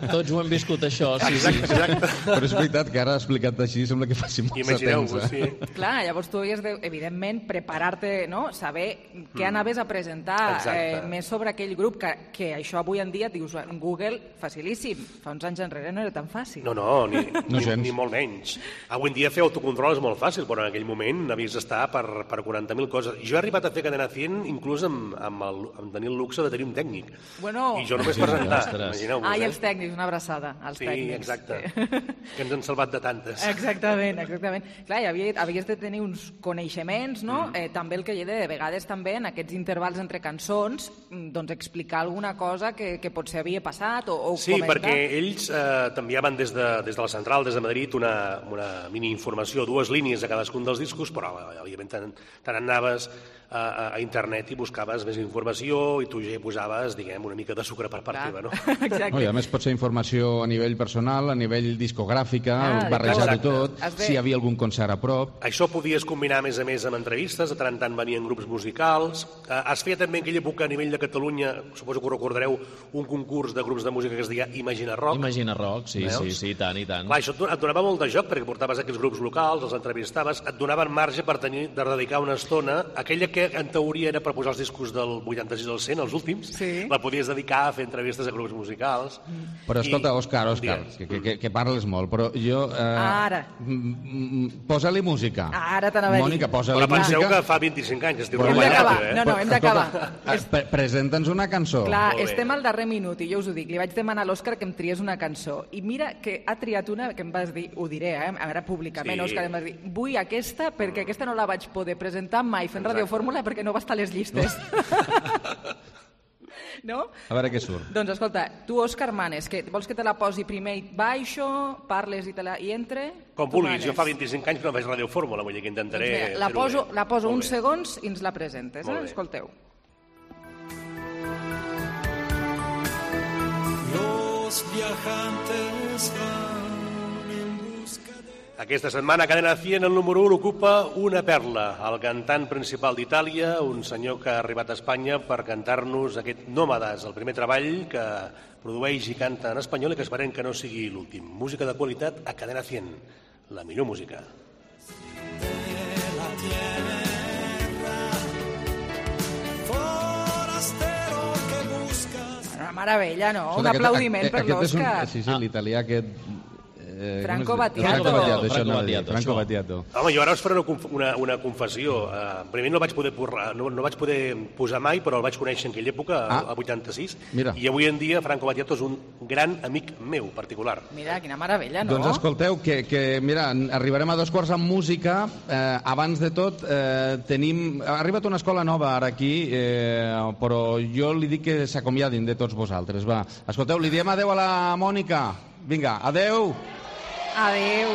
Tots ho hem viscut, això. Exacte. Però és veritat que ara explicat així sembla que faci massa temps. Sí. Clar, llavors tu havies de, evidentment, preparar-te, no? Saber què anaves a presentar més sobre aquell grup, que això avui en dia, dius, en Google, facilíssim. Fa uns anys enrere no era tan fàcil. No, ni molt menys. Avui en dia fer autocontrol és molt fàcil, però en aquell moment havies d'estar per 40.000 coses. Jo he arribat a fer Cadena 100 inclús amb tenir el luxe de tenir un tècnic. I jo només presentar, imagineu-vos. I els tècnics, una abraçada als tècnics. Sí, exacte. Que ens han salvat de tantes. Exactament. Clar, havies de tenir uns coneixements, no? També el que hi ha de vegades també en aquests intervals entre cançons, doncs explicar alguna cosa que potser havia passat o sí, comentar. Perquè ells t'enviaven des de la central, des de Madrid, una mini-informació, 2 línies a cadascun dels discos, però òbviament te n'anaves a internet i buscaves més informació i tu ja hi posaves, diguem, una mica de sucre per part teva, no? Exacte. I a més pot ser informació a nivell personal, a nivell discogràfica, barrejar-ho tot, si hi havia algun concert a prop. Això podies combinar a més amb entrevistes, de tant en tant venien grups musicals. Es feia també en aquella època a nivell de Catalunya, suposo que ho recordareu, un concurs de grups de música que es deia Imagina Rock. Imagina Rock, sí, tant i tant. Clar, això et donava molt de joc perquè portaves aquells grups locals, els entrevistaves, et donaven marge per tenir de dedicar una estona, aquella que en teoria era per posar els discos del 86 al 100, els últims, la podies dedicar a fer entrevistes a grups musicals. Però escolta, Òscar, que parles molt, però jo... Ara. Posa-li música. Ara t'anava a dir. Mònica, posa-li música. Penseu que fa 25 anys estiu hem d'acabar. No, hem d'acabar. Presenta'ns una cançó. Clar, estem al darrer minut i jo us ho dic, li vaig demanar a l'Òscar que em triés una cançó i mira que ha triat una que em vas dir, ho diré, ara públicament, Òscar, em vas dir, vull aquesta perquè aquesta no la vaig poder presentar mai fent Ràdio Fórmula perquè no va estar a les llistes. No? A veure què surt. Doncs escolta, tu, Òscar, manes, vols que te la posi primer i baixo, parles i entre? Com vulguis, jo fa 25 anys que no faig Ràdio Fórmula, vull dir que intentaré... Doncs mira, la poso uns segons i ens la presentes, escolteu. Los viajantes van en busca de... Aquesta setmana a Cadena 100 el número 1 ocupa una perla, el cantant principal d'Itàlia, un senyor que ha arribat a Espanya per cantar-nos aquest Nómades, el primer treball que produeix i canta en espanyol i que esperem que no sigui l'últim. Música de qualitat a Cadena 100, la millor música. La tiene meravella, no? Un aplaudiment per l'Òscar. Sí, l'italià aquest... Franco Battiato. Franco Battiato. Home, jo ara us faré una confessió. Primer no vaig poder posar mai, però el vaig conèixer en aquella època, a 86, i avui en dia Franco Battiato és un gran amic meu particular. Mira, quina meravella, no? Doncs escolteu, que mira, arribarem a 2:15 amb música. Abans de tot, ha arribat una escola nova ara aquí, però jo li dic que s'acomiadin de tots vosaltres. Va, escolteu, li diem adeu a la Mònica. Vinga, adeu. Adeu.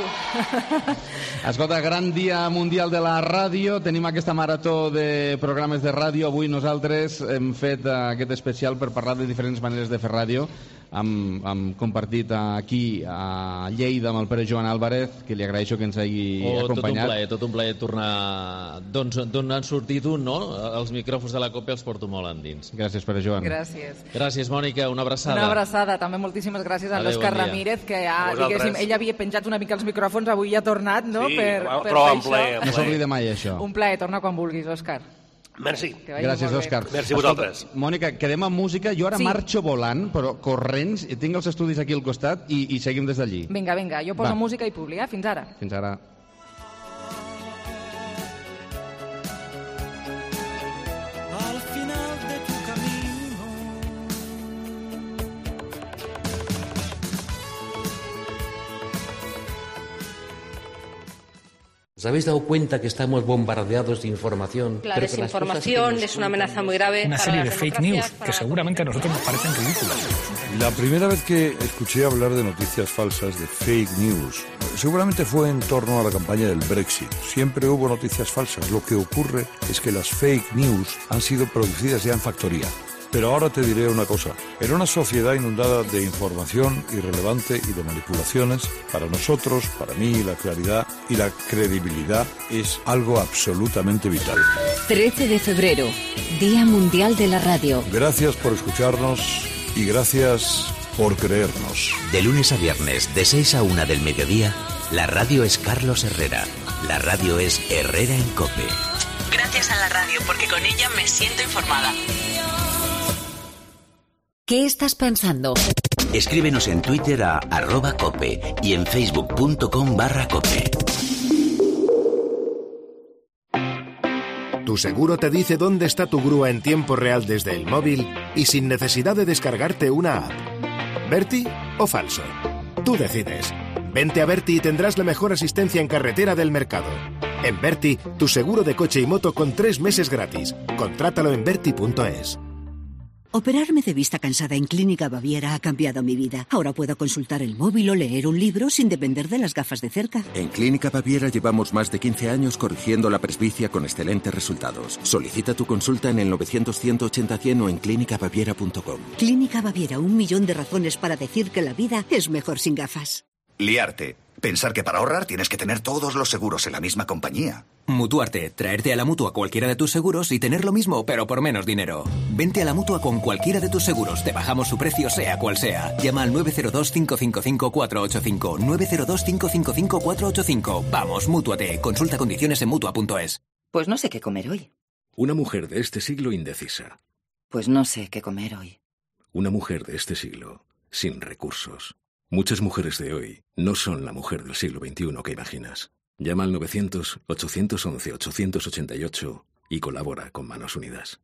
Escolta, gran dia mundial de la ràdio. Tenim aquesta marató de programes de ràdio. Avui nosaltres hem fet aquest especial per parlar de diferents maneres de fer ràdio. Hem compartit aquí a Lleida amb el Pere Joan Álvarez, que li agraeixo que ens hagi acompanyat. Tot un plaer tornar d'on han sortit no? Els micròfons de la COPE els porto molt endins. Gràcies, Pere Joan. Gràcies, Mònica, una abraçada. Una abraçada, també moltíssimes gràcies a l'Òscar Ramírez, que ell havia penjat una mica els micròfons, avui ja ha tornat, no? Sí, però en ple. No s'oblida mai, això. Un plaer, torna quan vulguis, Òscar. Merci. Gràcies, Òscar. Merci a vosaltres. Mònica, quedem amb música. Jo ara marxo volant, però corrents, i tinc els estudis aquí al costat i seguim des d'allí. Vinga, jo poso música i publi, Fins ara. Fins ara. Al final de tu camino. ¿Os habéis dado cuenta que estamos bombardeados de información? La desinformación es una amenaza muy grave. Una serie de fake news que seguramente a nosotros nos parecen ridículas. La primera vez que escuché hablar de noticias falsas, de fake news, seguramente fue en torno a la campaña del Brexit. Siempre hubo noticias falsas. Lo que ocurre es que las fake news han sido producidas ya en factoría. Pero ahora te diré una cosa. En una sociedad inundada de información irrelevante y de manipulaciones, para nosotros, para mí, la claridad y la credibilidad es algo absolutamente vital. 13 de febrero, Día Mundial de la Radio. Gracias por escucharnos y gracias por creernos. De lunes a viernes, de 6 a 1 del mediodía, la radio es Carlos Herrera. La radio es Herrera en COPE. Gracias a la radio, porque con ella me siento informada. ¿Qué estás pensando? Escríbenos en Twitter a @cope y en facebook.com/cope. Tu seguro te dice dónde está tu grúa en tiempo real desde el móvil y sin necesidad de descargarte una app. ¿Berti o falso? Tú decides. Vente a Berti y tendrás la mejor asistencia en carretera del mercado. En Berti, tu seguro de coche y moto con 3 meses gratis. Contrátalo en berti.es. Operarme de vista cansada en Clínica Baviera ha cambiado mi vida. Ahora puedo consultar el móvil o leer un libro sin depender de las gafas de cerca. En Clínica Baviera llevamos más de 15 años corrigiendo la presbicia con excelentes resultados. Solicita tu consulta en el 900-180-100 o en clínicabaviera.com. Clínica Baviera, 1 millón de razones para decir que la vida es mejor sin gafas. Liarte. Pensar que para ahorrar tienes que tener todos los seguros en la misma compañía. Mutuarte. Traerte a la Mutua cualquiera de tus seguros y tener lo mismo, pero por menos dinero. Vente a la Mutua con cualquiera de tus seguros. Te bajamos su precio, sea cual sea. Llama al 902-555-485. 902-555-485. Vamos, mútuate. Consulta condiciones en Mutua.es. Pues no sé qué comer hoy. Una mujer de este siglo indecisa. Pues no sé qué comer hoy. Una mujer de este siglo sin recursos. Muchas mujeres de hoy no son la mujer del siglo XXI que imaginas. Llama al 900-811-888 y colabora con Manos Unidas.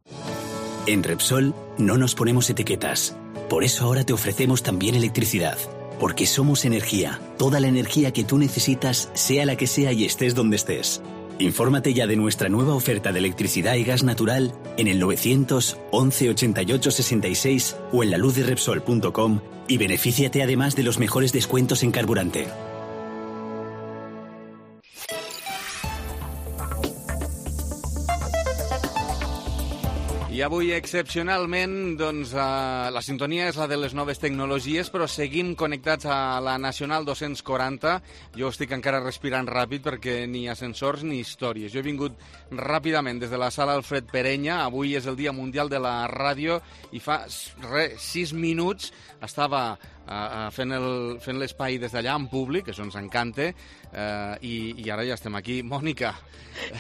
En Repsol no nos ponemos etiquetas. Por eso ahora te ofrecemos también electricidad. Porque somos energía. Toda la energía que tú necesitas, sea la que sea y estés donde estés. Infórmate ya de nuestra nueva oferta de electricidad y gas natural en el 900 11 88 66 o en laluzderepsol.com y benefíciate además de los mejores descuentos en carburante. I avui, excepcionalment, doncs, la sintonia és la de les noves tecnologies, però seguim connectats a la Nacional 240. Jo estic encara respirant ràpid perquè ni ascensors ni històries. Jo he vingut ràpidament des de la sala Alfred Perenya. Avui és el Dia Mundial de la Ràdio i fa 6 minuts estava fent l'espai des d'allà en públic, això ens encanta, i ara ja estem aquí. Mònica.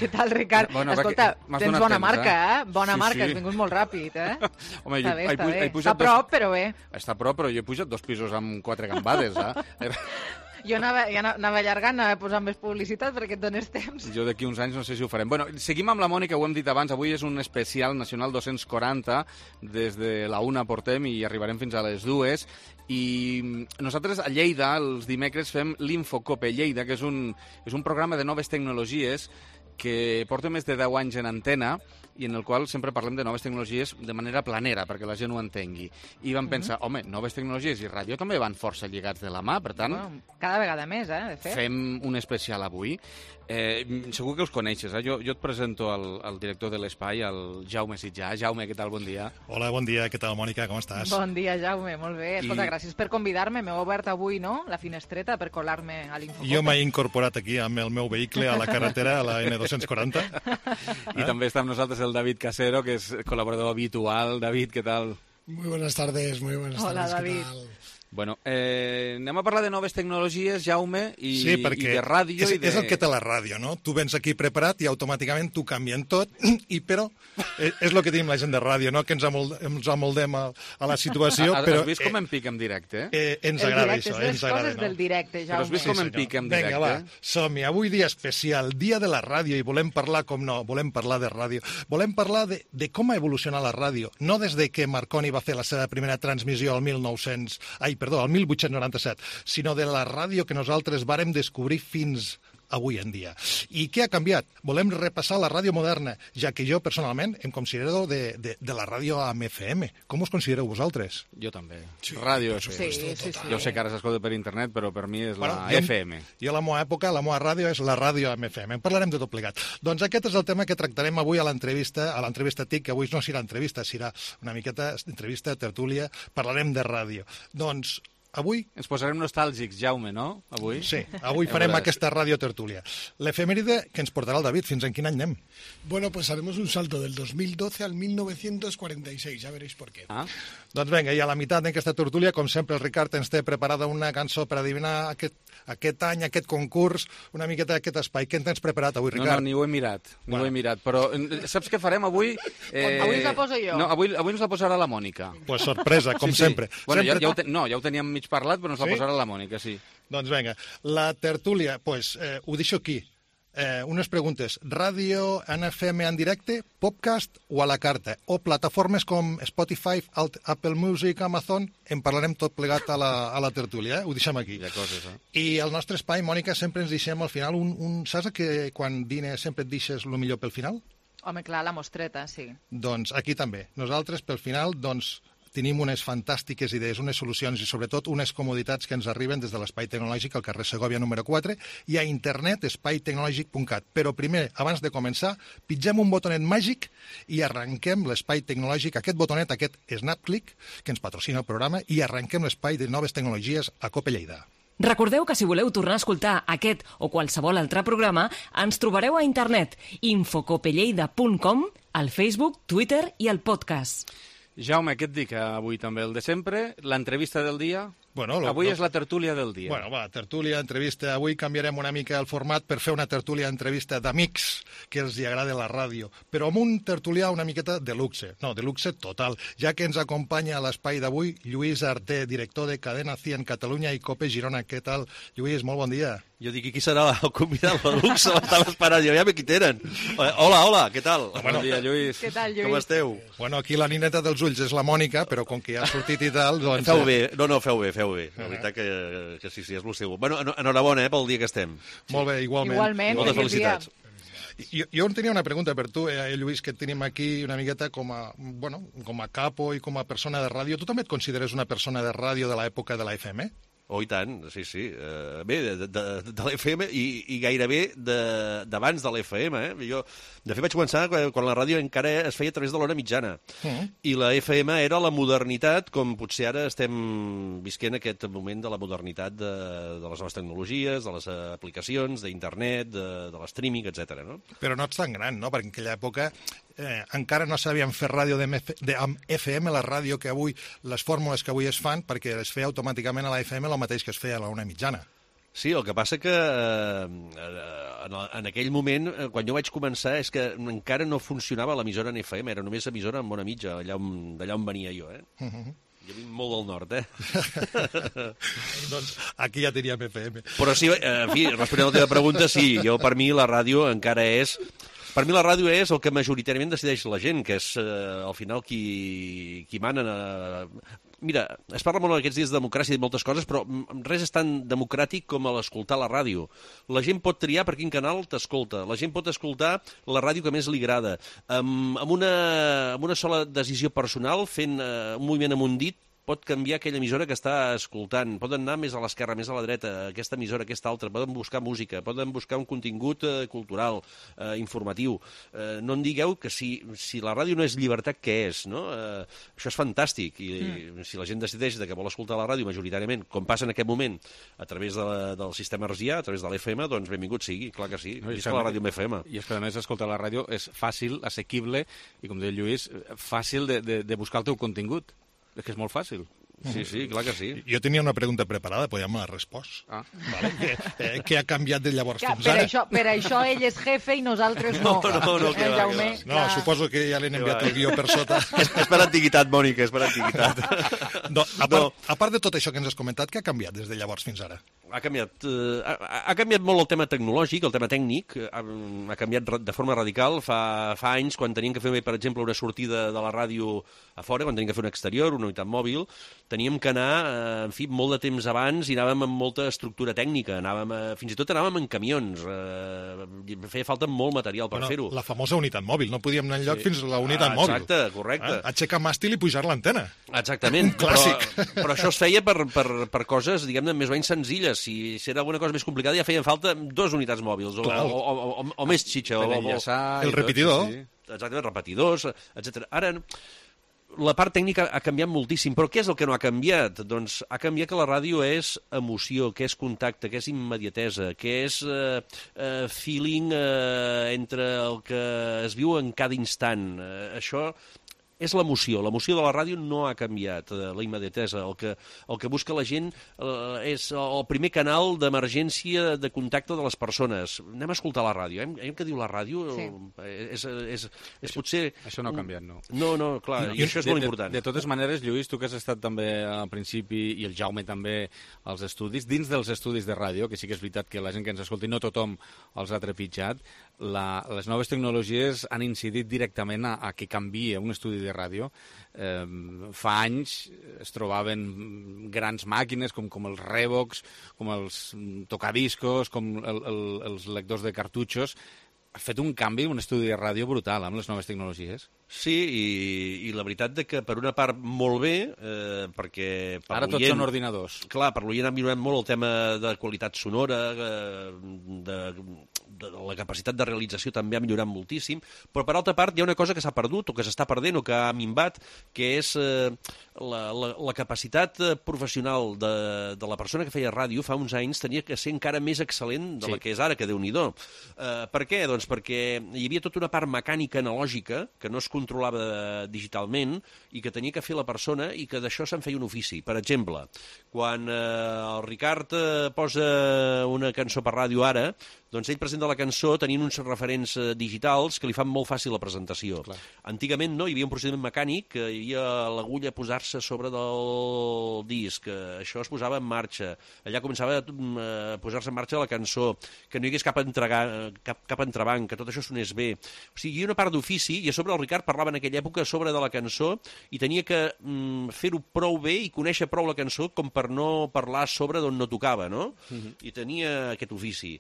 Què tal, Ricard? Escolta, tens bona marca, Bona marca, has vingut molt ràpid, Home, està bé. Està a prop, però bé. Està a prop, però jo he pujat 2 pisos amb 4 gambades, Jo anava allargant, anava posant més publicitat perquè et dones temps. Jo d'aquí uns anys no sé si ho farem. Bueno, seguim amb la Mònica, ho hem dit abans, avui és un especial Nacional 240, des de la 1 portem i arribarem fins a les 2, i nosaltres a Lleida els dimecres fem l'Infocope Lleida, que és un programa de noves tecnologies que porta més de 10 anys en antena i en el qual sempre parlem de noves tecnologies de manera planera, perquè la gent ho entengui. I vam pensar, home, noves tecnologies i ràdio també van força lligats de la mà, per tant... Cada vegada més, de fet. Fem un especial avui. Segur que els coneixes, Jo et presento al director de l'espai, el Jaume Sitjà. Jaume, què tal? Bon dia. Hola, bon dia. Què tal, Mònica? Com estàs? Bon dia, Jaume. Molt bé. Escolta, gràcies per convidar-me. M'heu obert avui, no?, la finestreta per colar-me a l'Infocope. Jo m'he incorporat aquí amb el meu vehicle a la carretera, a la N240. I també està amb nosaltres el David Casero, que és col·laborador habitual. David, què tal? Muy buenas tardes, muy buenas tardes. Hola, David. ¿Qué tal? Bueno, anem a parlar de noves tecnologies, Jaume, i de ràdio. És el que té la ràdio, no? Tu vens aquí preparat i automàticament t'ho canvien tot, però és el que tenim la gent de ràdio, no? Que ens amoldem a la situació. Has vist com em pica en directe? Ens agrada això, ens agrada. Les coses del directe, Jaume. Però has vist com em pica en directe? Vinga, va, som-hi. Avui dia especial, dia de la ràdio, i volem parlar, com no, volem parlar de ràdio. Volem parlar de com ha evolucionat la ràdio, no des de que Marconi va fer la seva primera transmissió al 1897, sinó de la ràdio que nosaltres vàrem descobrir fins avui en dia. I què ha canviat? Volem repassar la ràdio moderna, ja que jo personalment em considero de la ràdio amb FM. Com us considereu vosaltres? Jo també. Ràdio FM. Sí. Jo sé que ara s'escolta per internet, però per mi és la FM. Jo a la meva època, la meva ràdio és la ràdio amb FM. En parlarem de tot plegat. Doncs aquest és el tema que tractarem avui a l'entrevista TIC, que avui no serà entrevista, serà una miqueta entrevista, tertúlia. Parlarem de ràdio. Doncs avui... Ens posarem nostàlgics, Jaume, no? Avui? Sí, avui farem aquesta ràdio tertúlia. L'efemèride que ens portarà el David, fins en quin any anem? Bueno, pues haremos un salto del 2012 al 1946, ya veréis por qué. Doncs vinga, i a la meitat d'aquesta tertúlia, com sempre, el Ricard ens té preparada una cançó per adivinar aquest any, aquest concurs, una miqueta d'aquest espai. Què en tens preparat avui, Ricard? No, ni ho he mirat, però saps què farem avui? Avui us la poso jo. No, avui ens la posarà la Mònica. Pues sorpresa, com sempre. Bueno, ja ho teníem mig parlat, però ens la posarà la Mònica, sí. Doncs vinga, la tertúlia, ho deixo aquí. Unes preguntes. Ràdio en FM en directe, podcast o a la carta? O plataformes com Spotify, Apple Music, Amazon? En parlarem tot plegat a la tertúlia, Ho deixem aquí. I el nostre espai, Mònica, sempre ens deixem al final saps que quan dines sempre et deixes el millor pel final? Home, clar, la mostreta, sí. Doncs aquí també. Nosaltres, pel final, tenim unes fantàstiques idees, unes solucions i sobretot unes comoditats que ens arriben des de l'Espai Tecnològic al carrer Segòvia número 4 i a internet espaitecnologic.cat. Però primer, abans de començar, pitgem un botonet màgic i arrenquem l'Espai Tecnològic, aquest botonet, aquest SnapClick, que ens patrocina el programa, i arrenquem l'espai de noves tecnologies a Cope Lleida. Recordeu que si voleu tornar a escoltar aquest o qualsevol altre programa, ens trobareu a internet infocopelleida.com, al Facebook, Twitter i al podcast. Jaume, què et dic avui també? El de sempre, l'entrevista del dia... Avui és la tertúlia del dia. Bueno, va, tertúlia, entrevista. Avui canviarem una mica el format per fer una tertúlia, entrevista d'amics que els hi agrada la ràdio, però amb un tertulià una miqueta de luxe. No, de luxe total, ja que ens acompanya a l'espai d'avui Lluís Arté, director de Cadena 100 Catalunya i Cope Girona. Què tal, Lluís? Molt bon dia. Jo dic, qui serà el convidat de luxe? L'estava esperant, jo ja me qui tenen. Hola, què tal? Bon dia, Lluís. Què tal, Lluís? Com esteu? Bueno, aquí la nineta dels ulls és la Mònica, però com que ja ha sortit i tal, doncs... Feu bé, feu bé. La veritat que sí, és el seu. Bueno, enhorabona pel dia que estem. Molt bé, igualment. Igualment. Moltes felicitats. Jo tenia una pregunta per tu, Lluís, que tenim aquí una miqueta com a capo i com a persona de ràdio. Tu també et consideres una persona de ràdio de l'època de la FM? Oh, i tant, sí. Bé, de l'FM i gairebé d'abans de l'FM. Jo, de fet, vaig començar quan la ràdio encara es feia a través de l'hora mitjana. I la FM era la modernitat, com potser ara estem visquent aquest moment de la modernitat de les noves tecnologies, de les aplicacions, d'internet, de l'streaming, etc. No? Però no ets tan gran, no? Perquè en aquella època encara no sabien fer ràdio amb FM, la ràdio que avui, les fórmules que avui es fan, perquè es feia automàticament a la FM el mateix que es feia a la una mitjana. Sí, el que passa que en aquell moment, quan jo vaig començar, és que encara no funcionava l'emissora en FM, era només emissora en Bona Mitja, d'allà on venia jo, Jo vinc molt del nord, Doncs aquí ja teníem FM. Però sí, en fi, responent a la teva pregunta, sí, per mi la ràdio encara és... Per mi la ràdio és el que majoritàriament decideix la gent, que és al final qui mana... Mira, es parla molt aquests dies de democràcia i de moltes coses, però res és tan democràtic com l'escoltar la ràdio. La gent pot triar per quin canal t'escolta, la gent pot escoltar la ràdio que més li agrada. Amb una sola decisió personal, fent un moviment amb un dit, pot canviar aquella emissora que està escoltant, poden anar més a l'esquerra, més a la dreta, aquesta emissora, aquesta altra, poden buscar música, poden buscar un contingut cultural, informatiu. No em digueu que si la ràdio no és llibertat, què és? No? Això és fantàstic, i si la gent decideix que vol escoltar la ràdio majoritàriament, com passa en aquest moment, a través del sistema hertzià, a través de l'FM, doncs benvingut sigui, clar que sí, visca la ràdio amb FM. I és que a més escoltar la ràdio és fàcil, assequible, i com deia Lluís, fàcil de buscar el teu contingut. És que és molt fàcil. Sí, clar que sí. Jo tenia una pregunta preparada, però ja me l'ha respost. Vale? Què ha canviat de llavors fins ara? Per això ell és jefe i nosaltres no. No, suposo que ja l'hem enviat el guió per sota. És per antiguitat, Mònica, és per antiguitat. A part de tot això que ens has comentat, què ha canviat des de llavors fins ara? Ha canviat molt el tema tecnològic, el tema tècnic, ha canviat de forma radical. Fa anys, quan teníem que fer, per exemple, una sortida de la ràdio a fora, quan teníem que fer un exterior, una unitat mòbil, teníem que anar, en fi, molt de temps abans i anàvem amb molta estructura tècnica, fins i tot anàvem en camions, feia falta molt material per fer-ho. La famosa unitat mòbil, no podíem anar enlloc fins a la unitat mòbil. Exacte, correcte. Aixecar màstil i pujar l'antena. Exactament. Clàssic. Però això es feia per coses, diguem-ne, més o menys senzilles. Si era alguna cosa més complicada ja feien falta 2 unitats mòbils, o més xitxa. El repetidor. Exactament, repetidors, etc. Ara, la part tècnica ha canviat moltíssim, però què és el que no ha canviat? Doncs ha canviat que la ràdio és emoció, que és contacte, que és immediatesa, que és feeling entre el que es viu en cada instant. Això és l'emoció. L'emoció de la ràdio no ha canviat, la immediatesa. El que busca la gent és el primer canal d'emergència de contacte de les persones. Anem a escoltar la ràdio. Què diu la ràdio? És potser... Això no ha canviat, no. No, clar, i això és molt important. De totes maneres, Lluís, tu que has estat també al principi, i el Jaume també, als estudis, dins dels estudis de ràdio, que sí que és veritat que la gent que ens escolti, no tothom els ha trepitjat, les noves tecnologies han incidit directament a que canvia un estudi de ràdio. Fa anys es trobaven grans màquines com els Revox, com els tocadiscos, com els lectors de cartutxos. Ha fet un canvi, un estudi de ràdio brutal amb les noves tecnologies. Sí, i la veritat que per una part molt bé, perquè... Ara tots són ordinadors. Clar, per l'oient ha millorat molt el tema de qualitat sonora, de la capacitat de realització també ha millorat moltíssim, però per altra part hi ha una cosa que s'ha perdut, o que s'està perdent, o que ha minvat, que és la capacitat professional de la persona que feia ràdio fa uns anys tenia que ser encara més excel·lent de la que és ara, que Déu-n'hi-do. Per què? Doncs perquè hi havia tota una part mecànica analògica que no es controlava digitalment i que tenia que fer la persona i que d'això se'n feia un ofici. Per exemple, quan el Ricard posa una cançó per ràdio ara, doncs ell presenta la cançó tenint uns referents digitals que li fan molt fàcil la presentació. Clar. Antigament no, hi havia un procediment mecànic, hi havia l'agulla a posar-se sobre del disc, això es posava en marxa, allà començava a posar-se en marxa la cançó, que no hi hagués cap entrebanc, que tot això sonés bé. O sigui, hi havia una part d'ofici, i a sobre el Ricard parlava en aquella època sobre de la cançó i tenia que fer-ho prou bé i conèixer prou la cançó com per no parlar sobre d'on no tocava, no? I tenia aquest ofici.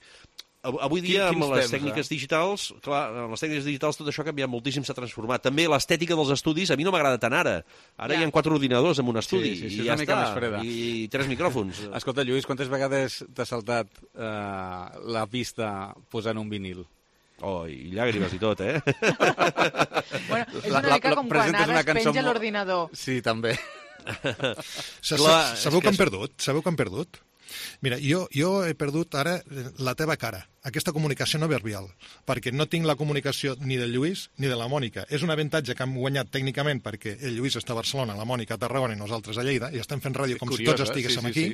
Avui dia, amb les tècniques digitals, clar, amb les tècniques digitals tot això ha canviat moltíssim, s'ha transformat. També l'estètica dels estudis a mi no m'agrada tant ara. Ara hi ha 4 ordinadors en un estudi i ja està, i 3 micròfons. Escolta, Lluís, quantes vegades t'ha saltat la pista posant un vinil? Oh, i llàgrimes i tot, eh? Bueno, és una mica com quan ara es penja l'ordinador. Sí, també. Sabeu que han perdut? Mira, jo he perdut ara la teva cara, aquesta comunicació no verbal, perquè no tinc la comunicació ni del Lluís ni de la Mònica. És un avantatge que hem guanyat tècnicament perquè el Lluís està a Barcelona, la Mònica a Tarragona i nosaltres a Lleida, i estem fent ràdio com si tots estiguéssim aquí.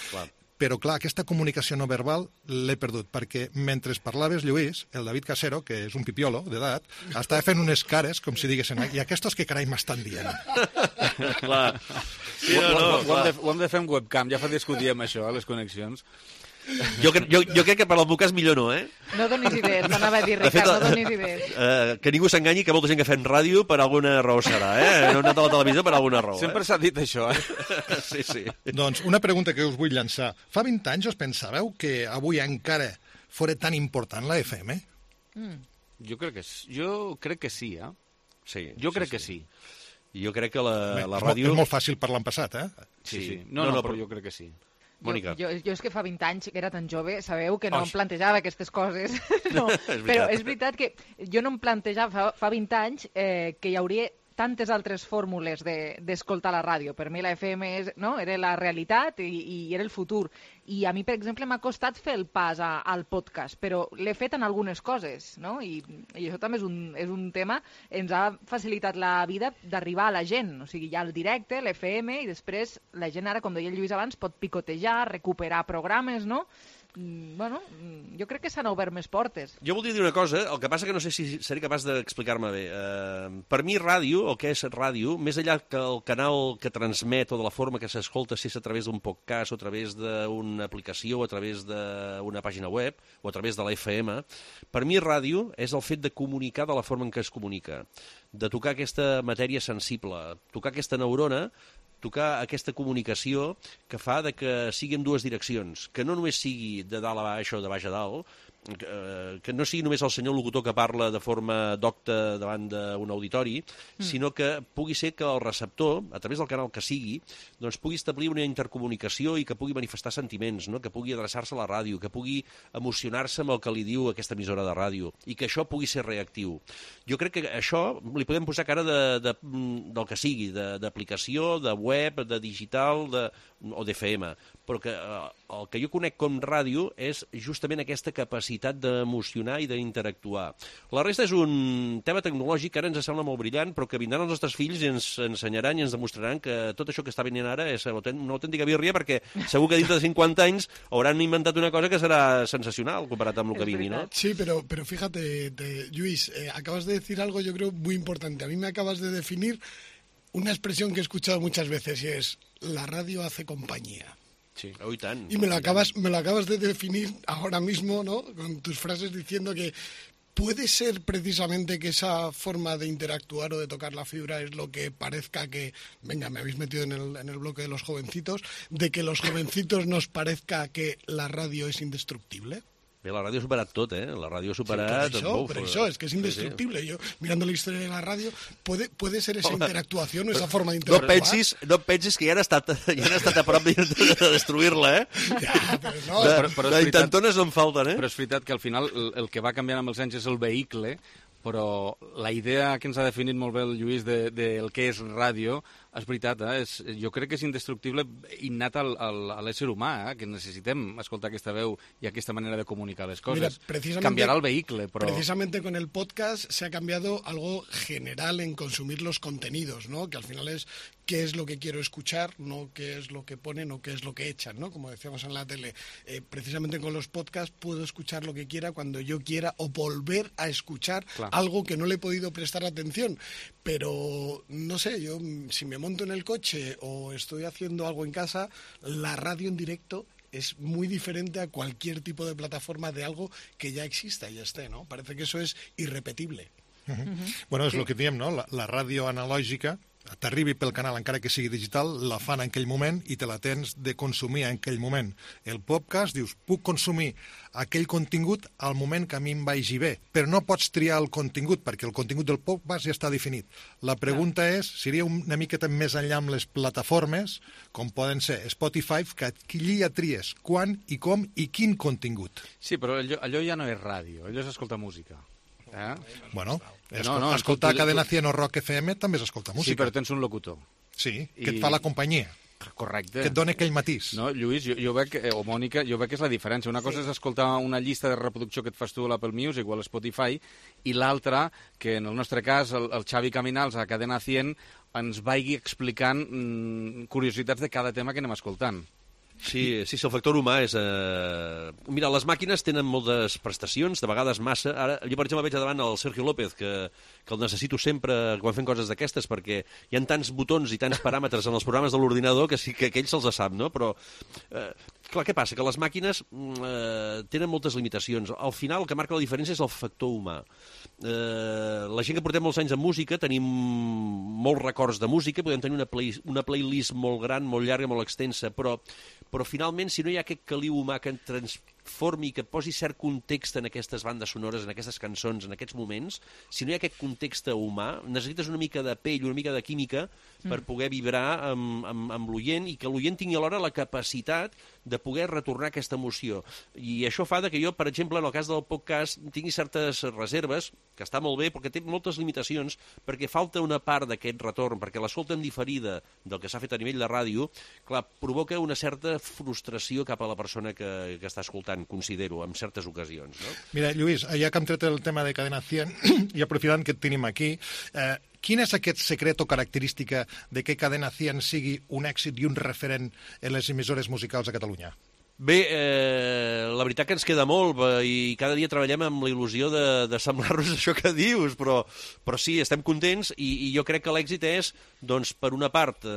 Clar. Però, clar, aquesta comunicació no verbal l'he perdut, perquè mentre parlaves, Lluís, el David Casero, que és un pipiolo d'edat, estava fent unes cares, com si diguessin, i aquestos que carai m'estan dient? Clar. Sí, ho hem de fer amb webcam, ja fa dies que ho diem, això, les connexions. Jo crec que per al meu cas millor no, eh? No donis idees, t'anava a dir, Ricard, no donis idees. Que ningú s'enganyi, que molta gent que fem ràdio per alguna raó serà, eh? No he anat a la televisió per alguna raó. Sempre s'ha dit això, eh? Sí. Doncs una pregunta que us vull llançar. Fa 20 anys us pensàveu que avui encara fora tan important la FM? Jo crec que sí, eh? Sí. Jo crec que sí. Jo crec que la ràdio... És molt fàcil parlar en passat, eh? Sí. No, però jo crec que sí. Mònica. Jo és que fa 20 anys que era tan jove, sabeu que no em plantejava aquestes coses. No, però és veritat que jo no em plantejava fa 20 anys que hi hauria tantes altres fórmules d'escoltar la ràdio. Per mi la FM era la realitat i era el futur. I a mi, per exemple, m'ha costat fer el pas al podcast, però l'he fet en algunes coses, no? I això també és un tema, ens ha facilitat la vida d'arribar a la gent. O sigui, hi ha el directe, l'FM, i després la gent ara, com deia el Lluís abans, pot picotejar, recuperar programes, no? Bueno, jo crec que s'han obert més portes. Jo voldria dir una cosa, el que passa que no sé si seré capaç d'explicar-me bé. Per mi ràdio, el que és ràdio, més enllà que el canal que transmet o de la forma que s'escolta, si és a través d'un podcast o a través d'una aplicació o a través d'una pàgina web o a través de la FM, per mi ràdio és el fet de comunicar de la forma en què es comunica, de tocar aquesta matèria sensible, tocar aquesta neurona, tocar aquesta comunicació que fa que sigui en dues direccions, que no només sigui de dalt a baix o de baix a dalt, que no sigui només el senyor locutor que parla de forma docta davant d'un auditori, sinó que pugui ser que el receptor, a través del canal que sigui, doncs pugui establir una intercomunicació i que pugui manifestar sentiments, no? Que pugui adreçar-se a la ràdio, que pugui emocionar-se amb el que li diu aquesta emissora de ràdio, i que això pugui ser reactiu. Jo crec que això li podem posar cara del que sigui, d'aplicació, de web, de digital o d'FM, però que el que jo conec com ràdio és justament aquesta capacitat d'emocionar i d'interactuar. La resta és un tema tecnològic que ara ens sembla molt brillant, però que vindran els nostres fills i ens ensenyaran i ens demostraran que tot això que està venint ara és una autèntica birria, perquè segur que dintre de 50 anys hauran inventat una cosa que serà sensacional comparat amb el que vingui, ¿no? Sí, pero fíjate, Lluís, acabas de decir algo yo creo muy importante. A mí me acabas de definir una expresión que he escuchado muchas veces y es: la radio hace compañía. Sí, hoy tan. Y me lo acabas de definir ahora mismo, ¿no? Con tus frases diciendo que puede ser precisamente que esa forma de interactuar o de tocar la fibra es lo que parezca que, venga, me habéis metido en el bloque de los jovencitos, de que los jovencitos nos parezca que la radio es indestructible. Bé, la ràdio ha superat tot, eh? La ràdio ha superat... Sí, por eso, es que es indestructible. Sí. Yo, mirando la historia de la radio, puede ser esa interactuación o esa forma de interactuar. No pensis que ja han estat a prop de destruir-la, eh? Ja, però no. Però intentones no en falten, eh? Però és veritat que al final el que va canviant amb els anys és el vehicle, però la idea que ens ha definit molt bé el Lluís del que és ràdio, és veritat, jo crec que és indestructible innat a l'ésser humà, que necessitem escoltar aquesta veu i aquesta manera de comunicar les coses. Mira, cambiará el vehicle, però... Precisamente con el podcast se ha cambiado algo general en consumir los contenidos, ¿no? Que al final es qué es lo que quiero escuchar, no qué es lo que ponen o qué es lo que echan, ¿no? Como decíamos en la tele. Precisamente con los podcasts puedo escuchar lo que quiera cuando yo quiera o volver a escuchar algo que no le he podido prestar atención. Pero, no sé, yo si me monto en el coche o estoy haciendo algo en casa, la radio en directo es muy diferente a cualquier tipo de plataforma de algo que ya exista y ya esté, ¿no? Parece que eso es irrepetible. Bueno, és el que diem, no? La ràdio analògica t'arribi pel canal, encara que sigui digital, la fan en aquell moment i te la tens de consumir en aquell moment. El podcast, dius, puc consumir aquell contingut al moment que a mi em vagi bé, però no pots triar el contingut, perquè el contingut del podcast ja està definit. La pregunta és, seria una miqueta més enllà amb les plataformes, com poden ser Spotify, que allí ja tries quan i com i quin contingut. Sí, però allò ja no és ràdio, allò és escoltar música. Bueno, escoltar Cadena 100 o Rock FM també és escoltar música. Sí, però tens un locutor. Sí, que et fa la companyia. Correcte. Que et dona aquell matís. No, Lluís, jo veig, o Mònica, jo veig que és la diferència. Una cosa és escoltar una llista de reproducció que et fas tu a l'Apple Music o a l'Spotify, i l'altra, que en el nostre cas el Xavi Caminals a Cadena 100 ens vagi explicant curiositats de cada tema que anem escoltant. Sí, el factor humà és... Mira, les màquines tenen moltes prestacions, de vegades massa. Ara, jo, per exemple, veig davant el Sergio López, que el necessito sempre quan fem coses d'aquestes, perquè hi ha tants botons i tants paràmetres en els programes de l'ordinador que sí que ell se'ls sap, no? Però, clar, què passa? Que les màquines tenen moltes limitacions. Al final, el que marca la diferència és el factor humà. La gent que portem molts anys en música tenim molts records de música, podem tenir una playlist molt gran, molt llarga, molt extensa, però finalment, si no hi ha aquest caliu humà que transformi, que posi cert context en aquestes bandes sonores, en aquestes cançons, en aquests moments, si no hi ha aquest context humà, necessites una mica de pell, una mica de química per poder vibrar amb l'oient, i que l'oient tingui alhora la capacitat de poder retornar aquesta emoció. I això fa que jo, per exemple, en el cas del podcast, tingui certes reserves, que està molt bé, perquè té moltes limitacions, perquè falta una part d'aquest retorn, perquè l'escolta en diferida del que s'ha fet a nivell de ràdio, clar, provoca una certa frustració cap a la persona que està escoltant, considero, en certes ocasions. No? Mira, Lluís, ja que hem tret el tema de Cadena 100, i aprofitant que et tenim aquí, quin és aquest secret o característica de que Cadena 100 sigui un èxit i un referent en les emissores musicals a Catalunya? Bé, la veritat que ens queda molt i cada dia treballem amb la il·lusió de semblar-nos això que dius, però sí, estem contents i jo crec que l'èxit és, doncs, per una part,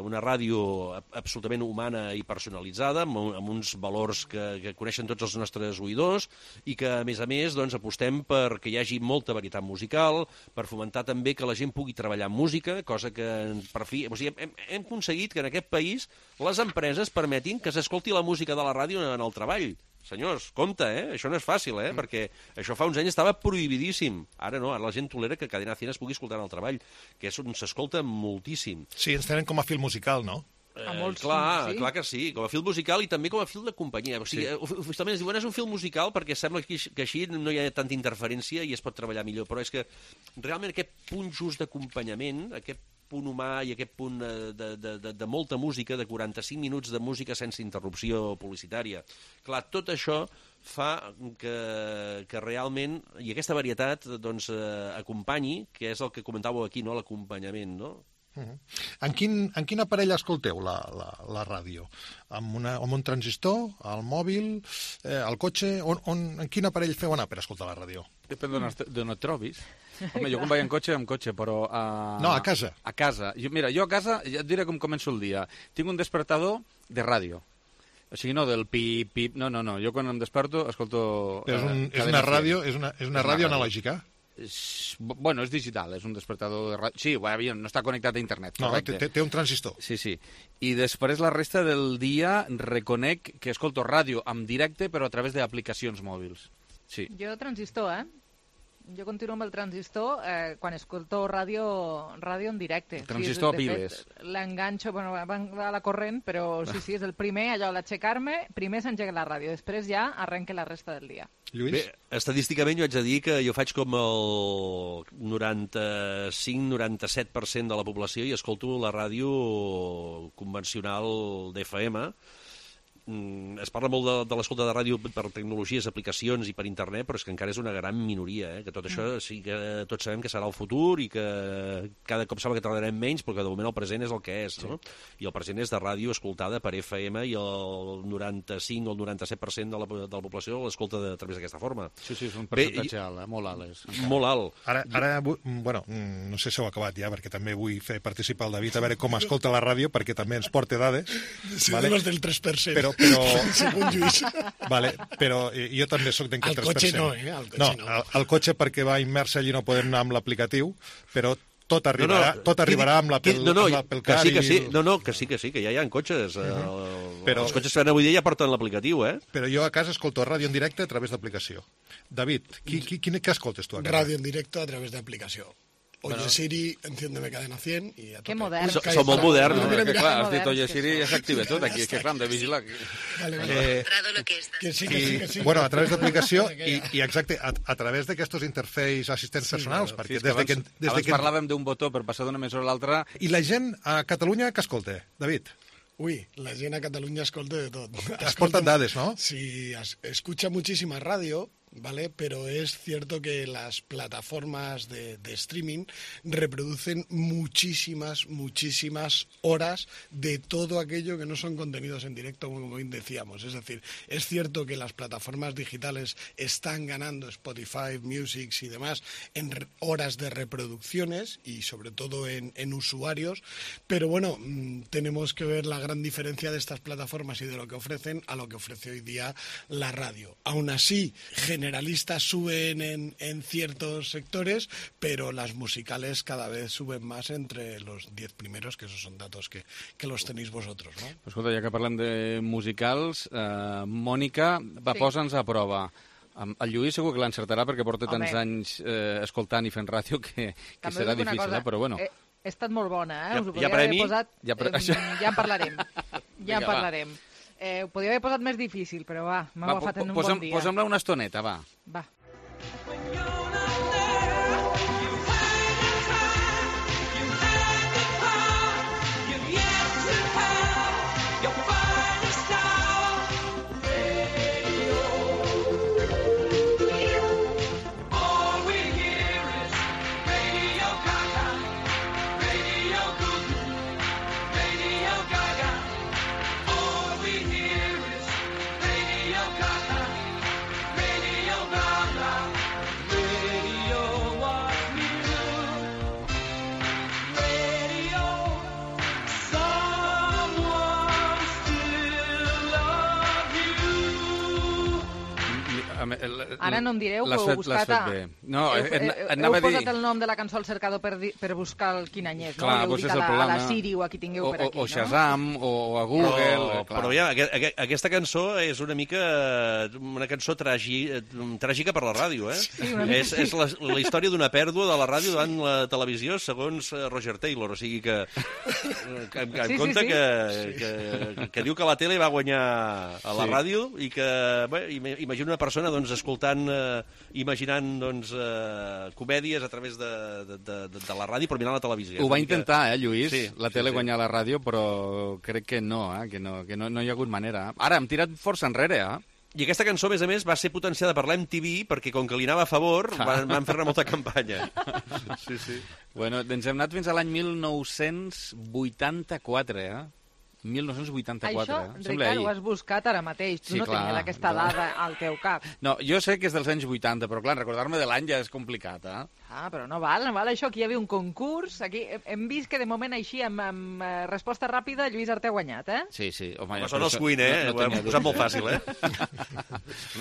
una ràdio absolutament humana i personalitzada, amb uns valors que coneixen tots els nostres oïdors i que, a més, doncs, apostem perquè hi hagi molta varietat musical, per fomentar també que la gent pugui treballar en música, cosa que, per fi, o sigui, hem aconseguit que en aquest país les empreses permetin que s'escolti la música de la ràdio en el treball. Senyors, compte, això no és fàcil, perquè això fa uns anys estava prohibidíssim. Ara no, ara la gent tolera que Cadena 100 es pugui escoltar en el treball, que és on s'escolta moltíssim. Sí, ens tenen com a fil musical, no? Clar que sí, com a fil musical i també com a fil de companyia. O sigui, oficialment es diuen és un fil musical perquè sembla que així no hi ha tanta interferència i es pot treballar millor, però és que realment aquest punt just d'acompanyament, aquest punt humà i aquest punt de molta música, de 45 minuts de música sense interrupció publicitària. Clar, tot això fa que realment, i aquesta varietat, doncs, acompanyi, que és el que comentàveu aquí, no?, l'acompanyament, no? En quin aparell escolteu la ràdio? Amb un transistor, al mòbil, al cotxe? En quin aparell feu anar per escoltar la ràdio? Depèn d'on et trobis. Home, jo quan vaig en cotxe, però... No, a casa. A casa. Jo a casa, ja et diré com començo el dia. Tinc un despertador de ràdio. O sigui, no del pip, pip... No. Jo quan em desperto escolto... És una ràdio analògica? Bueno, és digital, és un despertador de ràdio. Sí, no està connectat a internet. No, té un transistor. Sí. I després la resta del dia reconec que escolto ràdio en directe, però a través d'aplicacions mòbils. Sí. Jo transistor, Jo continuo amb el transistor quan escolto ràdio en directe. Transistor a piles. L'enganxo, va a la corrent, però sí, és el primer, allò, l'aixecar-me, primer s'engega la ràdio, després ja arrenca la resta del dia. Lluís? Bé, estadísticament jo haig de dir que jo faig com el 95-97% de la població i escolto la ràdio convencional d'FM. Es parla molt de l'escolta de ràdio per tecnologies, aplicacions i per internet, però és que encara és una gran minoria, que tot això sí que tots sabem que serà el futur i que cada cop sembla que tardarem menys, però que de moment el present és el que és, no? I el present és de ràdio escoltada per FM i el 95 o el 97% de la població l'escolta a través d'aquesta forma. Sí, és un percentatge alt, molt alt. Molt alt. Ara, bueno, no sé si heu acabat ja, perquè també vull fer participar el David a veure com escolta la ràdio, perquè també ens porta dades. Sí, vale? De los del 3%. Segons Lluís. Vale, però jo també soc d'en 3%. Al cotxe no, al cotxe perquè va immers allí no podem anar amb l'aplicatiu, però tot arribarà amb l'Apple Car. Que sí, que ja hi ha cotxes. Els cotxes que avui dia ja porten l'aplicatiu, Però jo a casa escolto ràdio en directe a través d'aplicació. David, què escoltes tu a casa? Ràdio en directe a través d'aplicació. Oye Siri, enciéndeme Cadena 100 i a tope. Que modern. Som molt moderns. Clar, has dit Oye Siri i ja s'activa tot aquí, que clar, hem de vigilar. Que sí. Bueno, a través d'aplicació i exacte, a través d'aquests interfaces assistents personals. Perquè abans parlàvem d'un botó per passar d'una emissora a l'altra. I la gent a Catalunya que escolta, David? Uy, la gent a Catalunya escolta de tot. Has portat dades, no? Sí, escucha muchísima radio, ¿vale? Pero es cierto que las plataformas de streaming reproducen muchísimas horas de todo aquello que no son contenidos en directo, como bien decíamos. Es decir, es cierto que las plataformas digitales están ganando, Spotify, Music y demás, en horas de reproducciones y sobre todo en usuarios, pero bueno, tenemos que ver la gran diferencia de estas plataformas y de lo que ofrecen a lo que ofrece hoy día la radio. Aún así, generalistas suben en ciertos sectores, pero las musicales cada vez suben más entre los 10 primeros, que esos son datos que los tenéis vosotros, no? Escolta, ja que parlem de musicals, Mònica, posa'ns a prova. El Lluís segur que l'encertarà perquè porta tants anys escoltant i fent ràdio que serà difícil, però bueno. He estat molt bona, us ho podria haver posat... Ja en parlarem. Ja en parlarem. Ho podria haver posat més difícil, però va, m'ha agafat en un bon dia. Posa'm-la una estoneta, va. Va. Ara no em direu que heu buscat... Heu posat el nom de la cançó al cercador per buscar quin any és, no? Heu dit a la Siri o a qui tingueu per aquí, no? O Shazam, o a Google... Però ja, aquesta cançó és una mica una cançó tràgica per la ràdio, eh? És la història d'una pèrdua de la ràdio davant la televisió, segons Roger Taylor, o sigui que en compte que diu que la tele va guanyar a la ràdio i que, imagina una persona escoltant, imaginant comèdies a través de la ràdio per mirar la televisió. Ho va intentar, Lluís, la tele guanyar la ràdio, però crec que no hi ha hagut manera. Ara, hem tirat força enrere, I aquesta cançó, a més a més, va ser potenciada per l'MTV perquè, com que li anava a favor, van fer-ne molta campanya. Sí. Bueno, ens hem anat fins a l'any 1984, 1984. Això, Ricard, ho has buscat ara mateix. Tu no tenies aquesta dada al teu cap. No, jo sé que és dels anys 80, però clar, recordar-me de l'any ja és complicat, però no val això. Aquí hi havia un concurs. Aquí hem vist que de moment així, amb resposta ràpida, Lluís Arté ha guanyat, Sí. Home, són els Queen, Ho hem posat molt fàcil,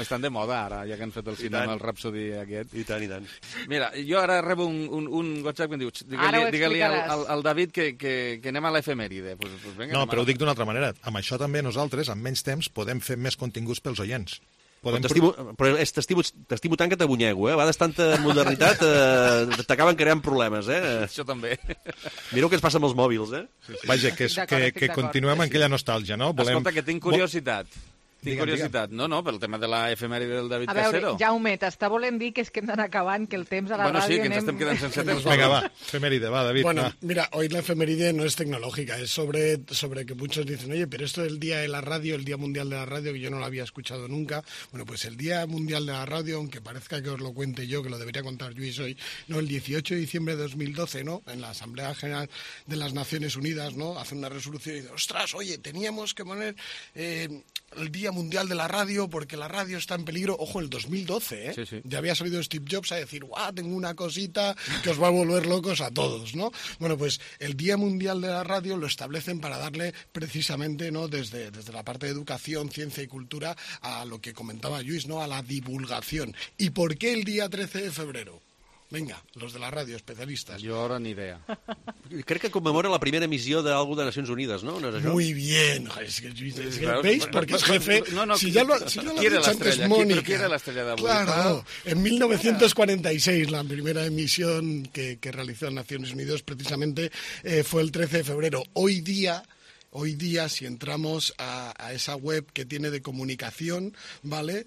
Estan de moda ara, ja que han fet el cinema, el Rhapsody aquest. I tant. Mira, jo ara rebo un WhatsApp que em diu, digue-li al David que anem a l'efemèride. No, però ho dic d'una altra manera. Amb això també nosaltres, amb menys temps, podem fer més continguts pels oients. Però t'estimo tant que t'abunyego, A vegades tanta modernitat t'acaben creant problemes, Això també. Mireu què ens passa amb els mòbils, Vaja, que continuem amb aquella nostàlgia, no? Escolta, que tinc curiositat. Tinc curiositat. No, pel tema de l'efemèride del David Casero. A veure, Jaume, t'està volent dir que és que hem d'anar acabant, que el temps a la ràdio... Bueno, sí, que ens estem quedant sense temps. Venga, va, efeméride, va, David. Bueno, mira, hoy la efeméride no es tecnológica, es sobre que muchos dicen, oye, pero esto del Día de la Radio, el Día Mundial de la Radio, que yo no lo había escuchado nunca. Bueno, pues el Día Mundial de la Radio, aunque parezca que os lo cuente yo, que lo debería contar Luis hoy, no, el 18 de diciembre de 2012, ¿no? En la Asamblea General de las Naciones Unidas, ¿no? Hace una resolución y dice, ostras, oye, teníamos que poner el Día Mundial de la Radio porque la radio está en peligro. Ojo, el 2012, Sí. Ya había salido Steve Jobs a decir, ¡guau! Tengo una cosita que os va a volver locos a todos, ¿no? Bueno, pues el Día Mundial de la Radio lo establecen para darle precisamente, ¿no? Desde la parte de educación, ciencia y cultura a lo que comentaba Lluís, ¿no? A la divulgación. ¿Y por qué el día 13 de febrero? Venga, los de la radio, especialistas. Jo ara ni idea. Crec que commemora la primera emissió d'algú de Nacions Unides, ¿no? ¿No es això? Muy bien. Es que ¿veis? Porque es jefe. Si ya lo ha dicho antes Mónica. ¿Quién era la estrella de Abu? Claro. En 1946, la primera emisión que realizó Naciones Unidas precisamente fue el 13 de febrero. Hoy día hoy día, si entramos a esa web que tiene de comunicación, ¿vale?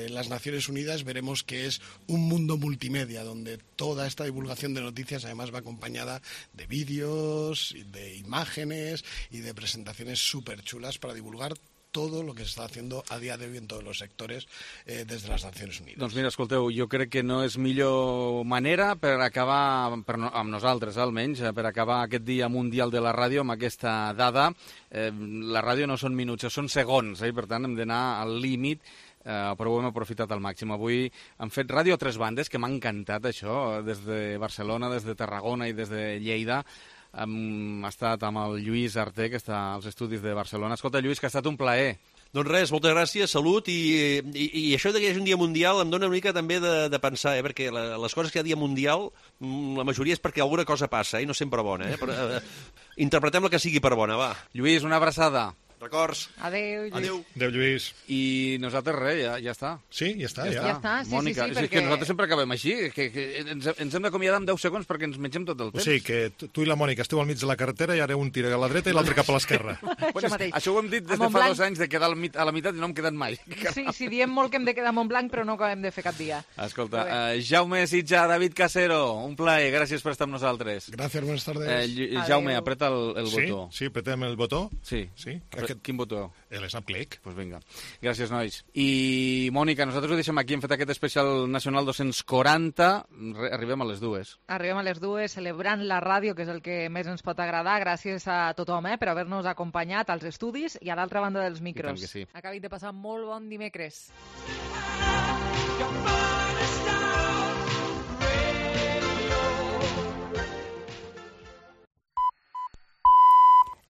Las Naciones Unidas, veremos que es un mundo multimedia, donde toda esta divulgación de noticias además va acompañada de vídeos, de imágenes y de presentaciones súper chulas para divulgar todo lo que se està haciendo a dia d'avui en tots els sectors des de les Nacions Unides. Doncs mira, escolteu, jo crec que no és millor manera per acabar, amb nosaltres almenys, per acabar aquest Dia Mundial de la Ràdio amb aquesta dada. La ràdio no són minuts, són segons, per tant hem d'anar al límit, però ho hem aprofitat al màxim. Avui hem fet ràdio a 3 bandes, que m'ha encantat això, des de Barcelona, des de Tarragona i des de Lleida. Hem estat amb el Lluís Arté, que està als estudis de Barcelona. Escolta, Lluís, que ha estat un plaer. Doncs res, moltes gràcies, salut, i això que hi hagi un dia mundial em dona una mica també de pensar, perquè les coses que hi ha dia mundial, la majoria és perquè alguna cosa passa, i no sempre bona, però interpretem la que sigui per bona, va. Lluís, una abraçada. Records. Adéu, Lluís. Adéu. Adéu, Lluís. I nosaltres res, ja està. Sí, ja està. Ja està, sí, Mònica, sí, és que nosaltres sempre acabem així, que ens hem d'acomiadar en 10 segons perquè ens mengem tot el temps. O sigui, que tu i la Mònica esteu al mig de la carretera i ara un tira a la dreta i l'altre cap a l'esquerra. Això ho hem dit des de fa 2 anys, de quedar a la meitat i no hem quedat mai. Sí, diem molt que hem de quedar a Montblanc, però no acabem de fer cap dia. Escolta, Jaume Sitjà, David Casero, un plaer, gràcies per estar amb nosaltres. Gràcies, buenas tardes. Jaume, apreta el botó. Sí, apretem el botó. Sí. Quin botó? L'Snap Click. Pues vinga. Gràcies, nois. I, Mònica, nosaltres ho deixem aquí. Hem fet aquest especial nacional 240. Arribem a les 2. Arribem a les 2, celebrant la ràdio, que és el que més ens pot agradar. Gràcies a tothom per haver-nos acompanyat als estudis i a l'altra banda dels micros. I tant que sí. Acabit de passar molt bon dimecres.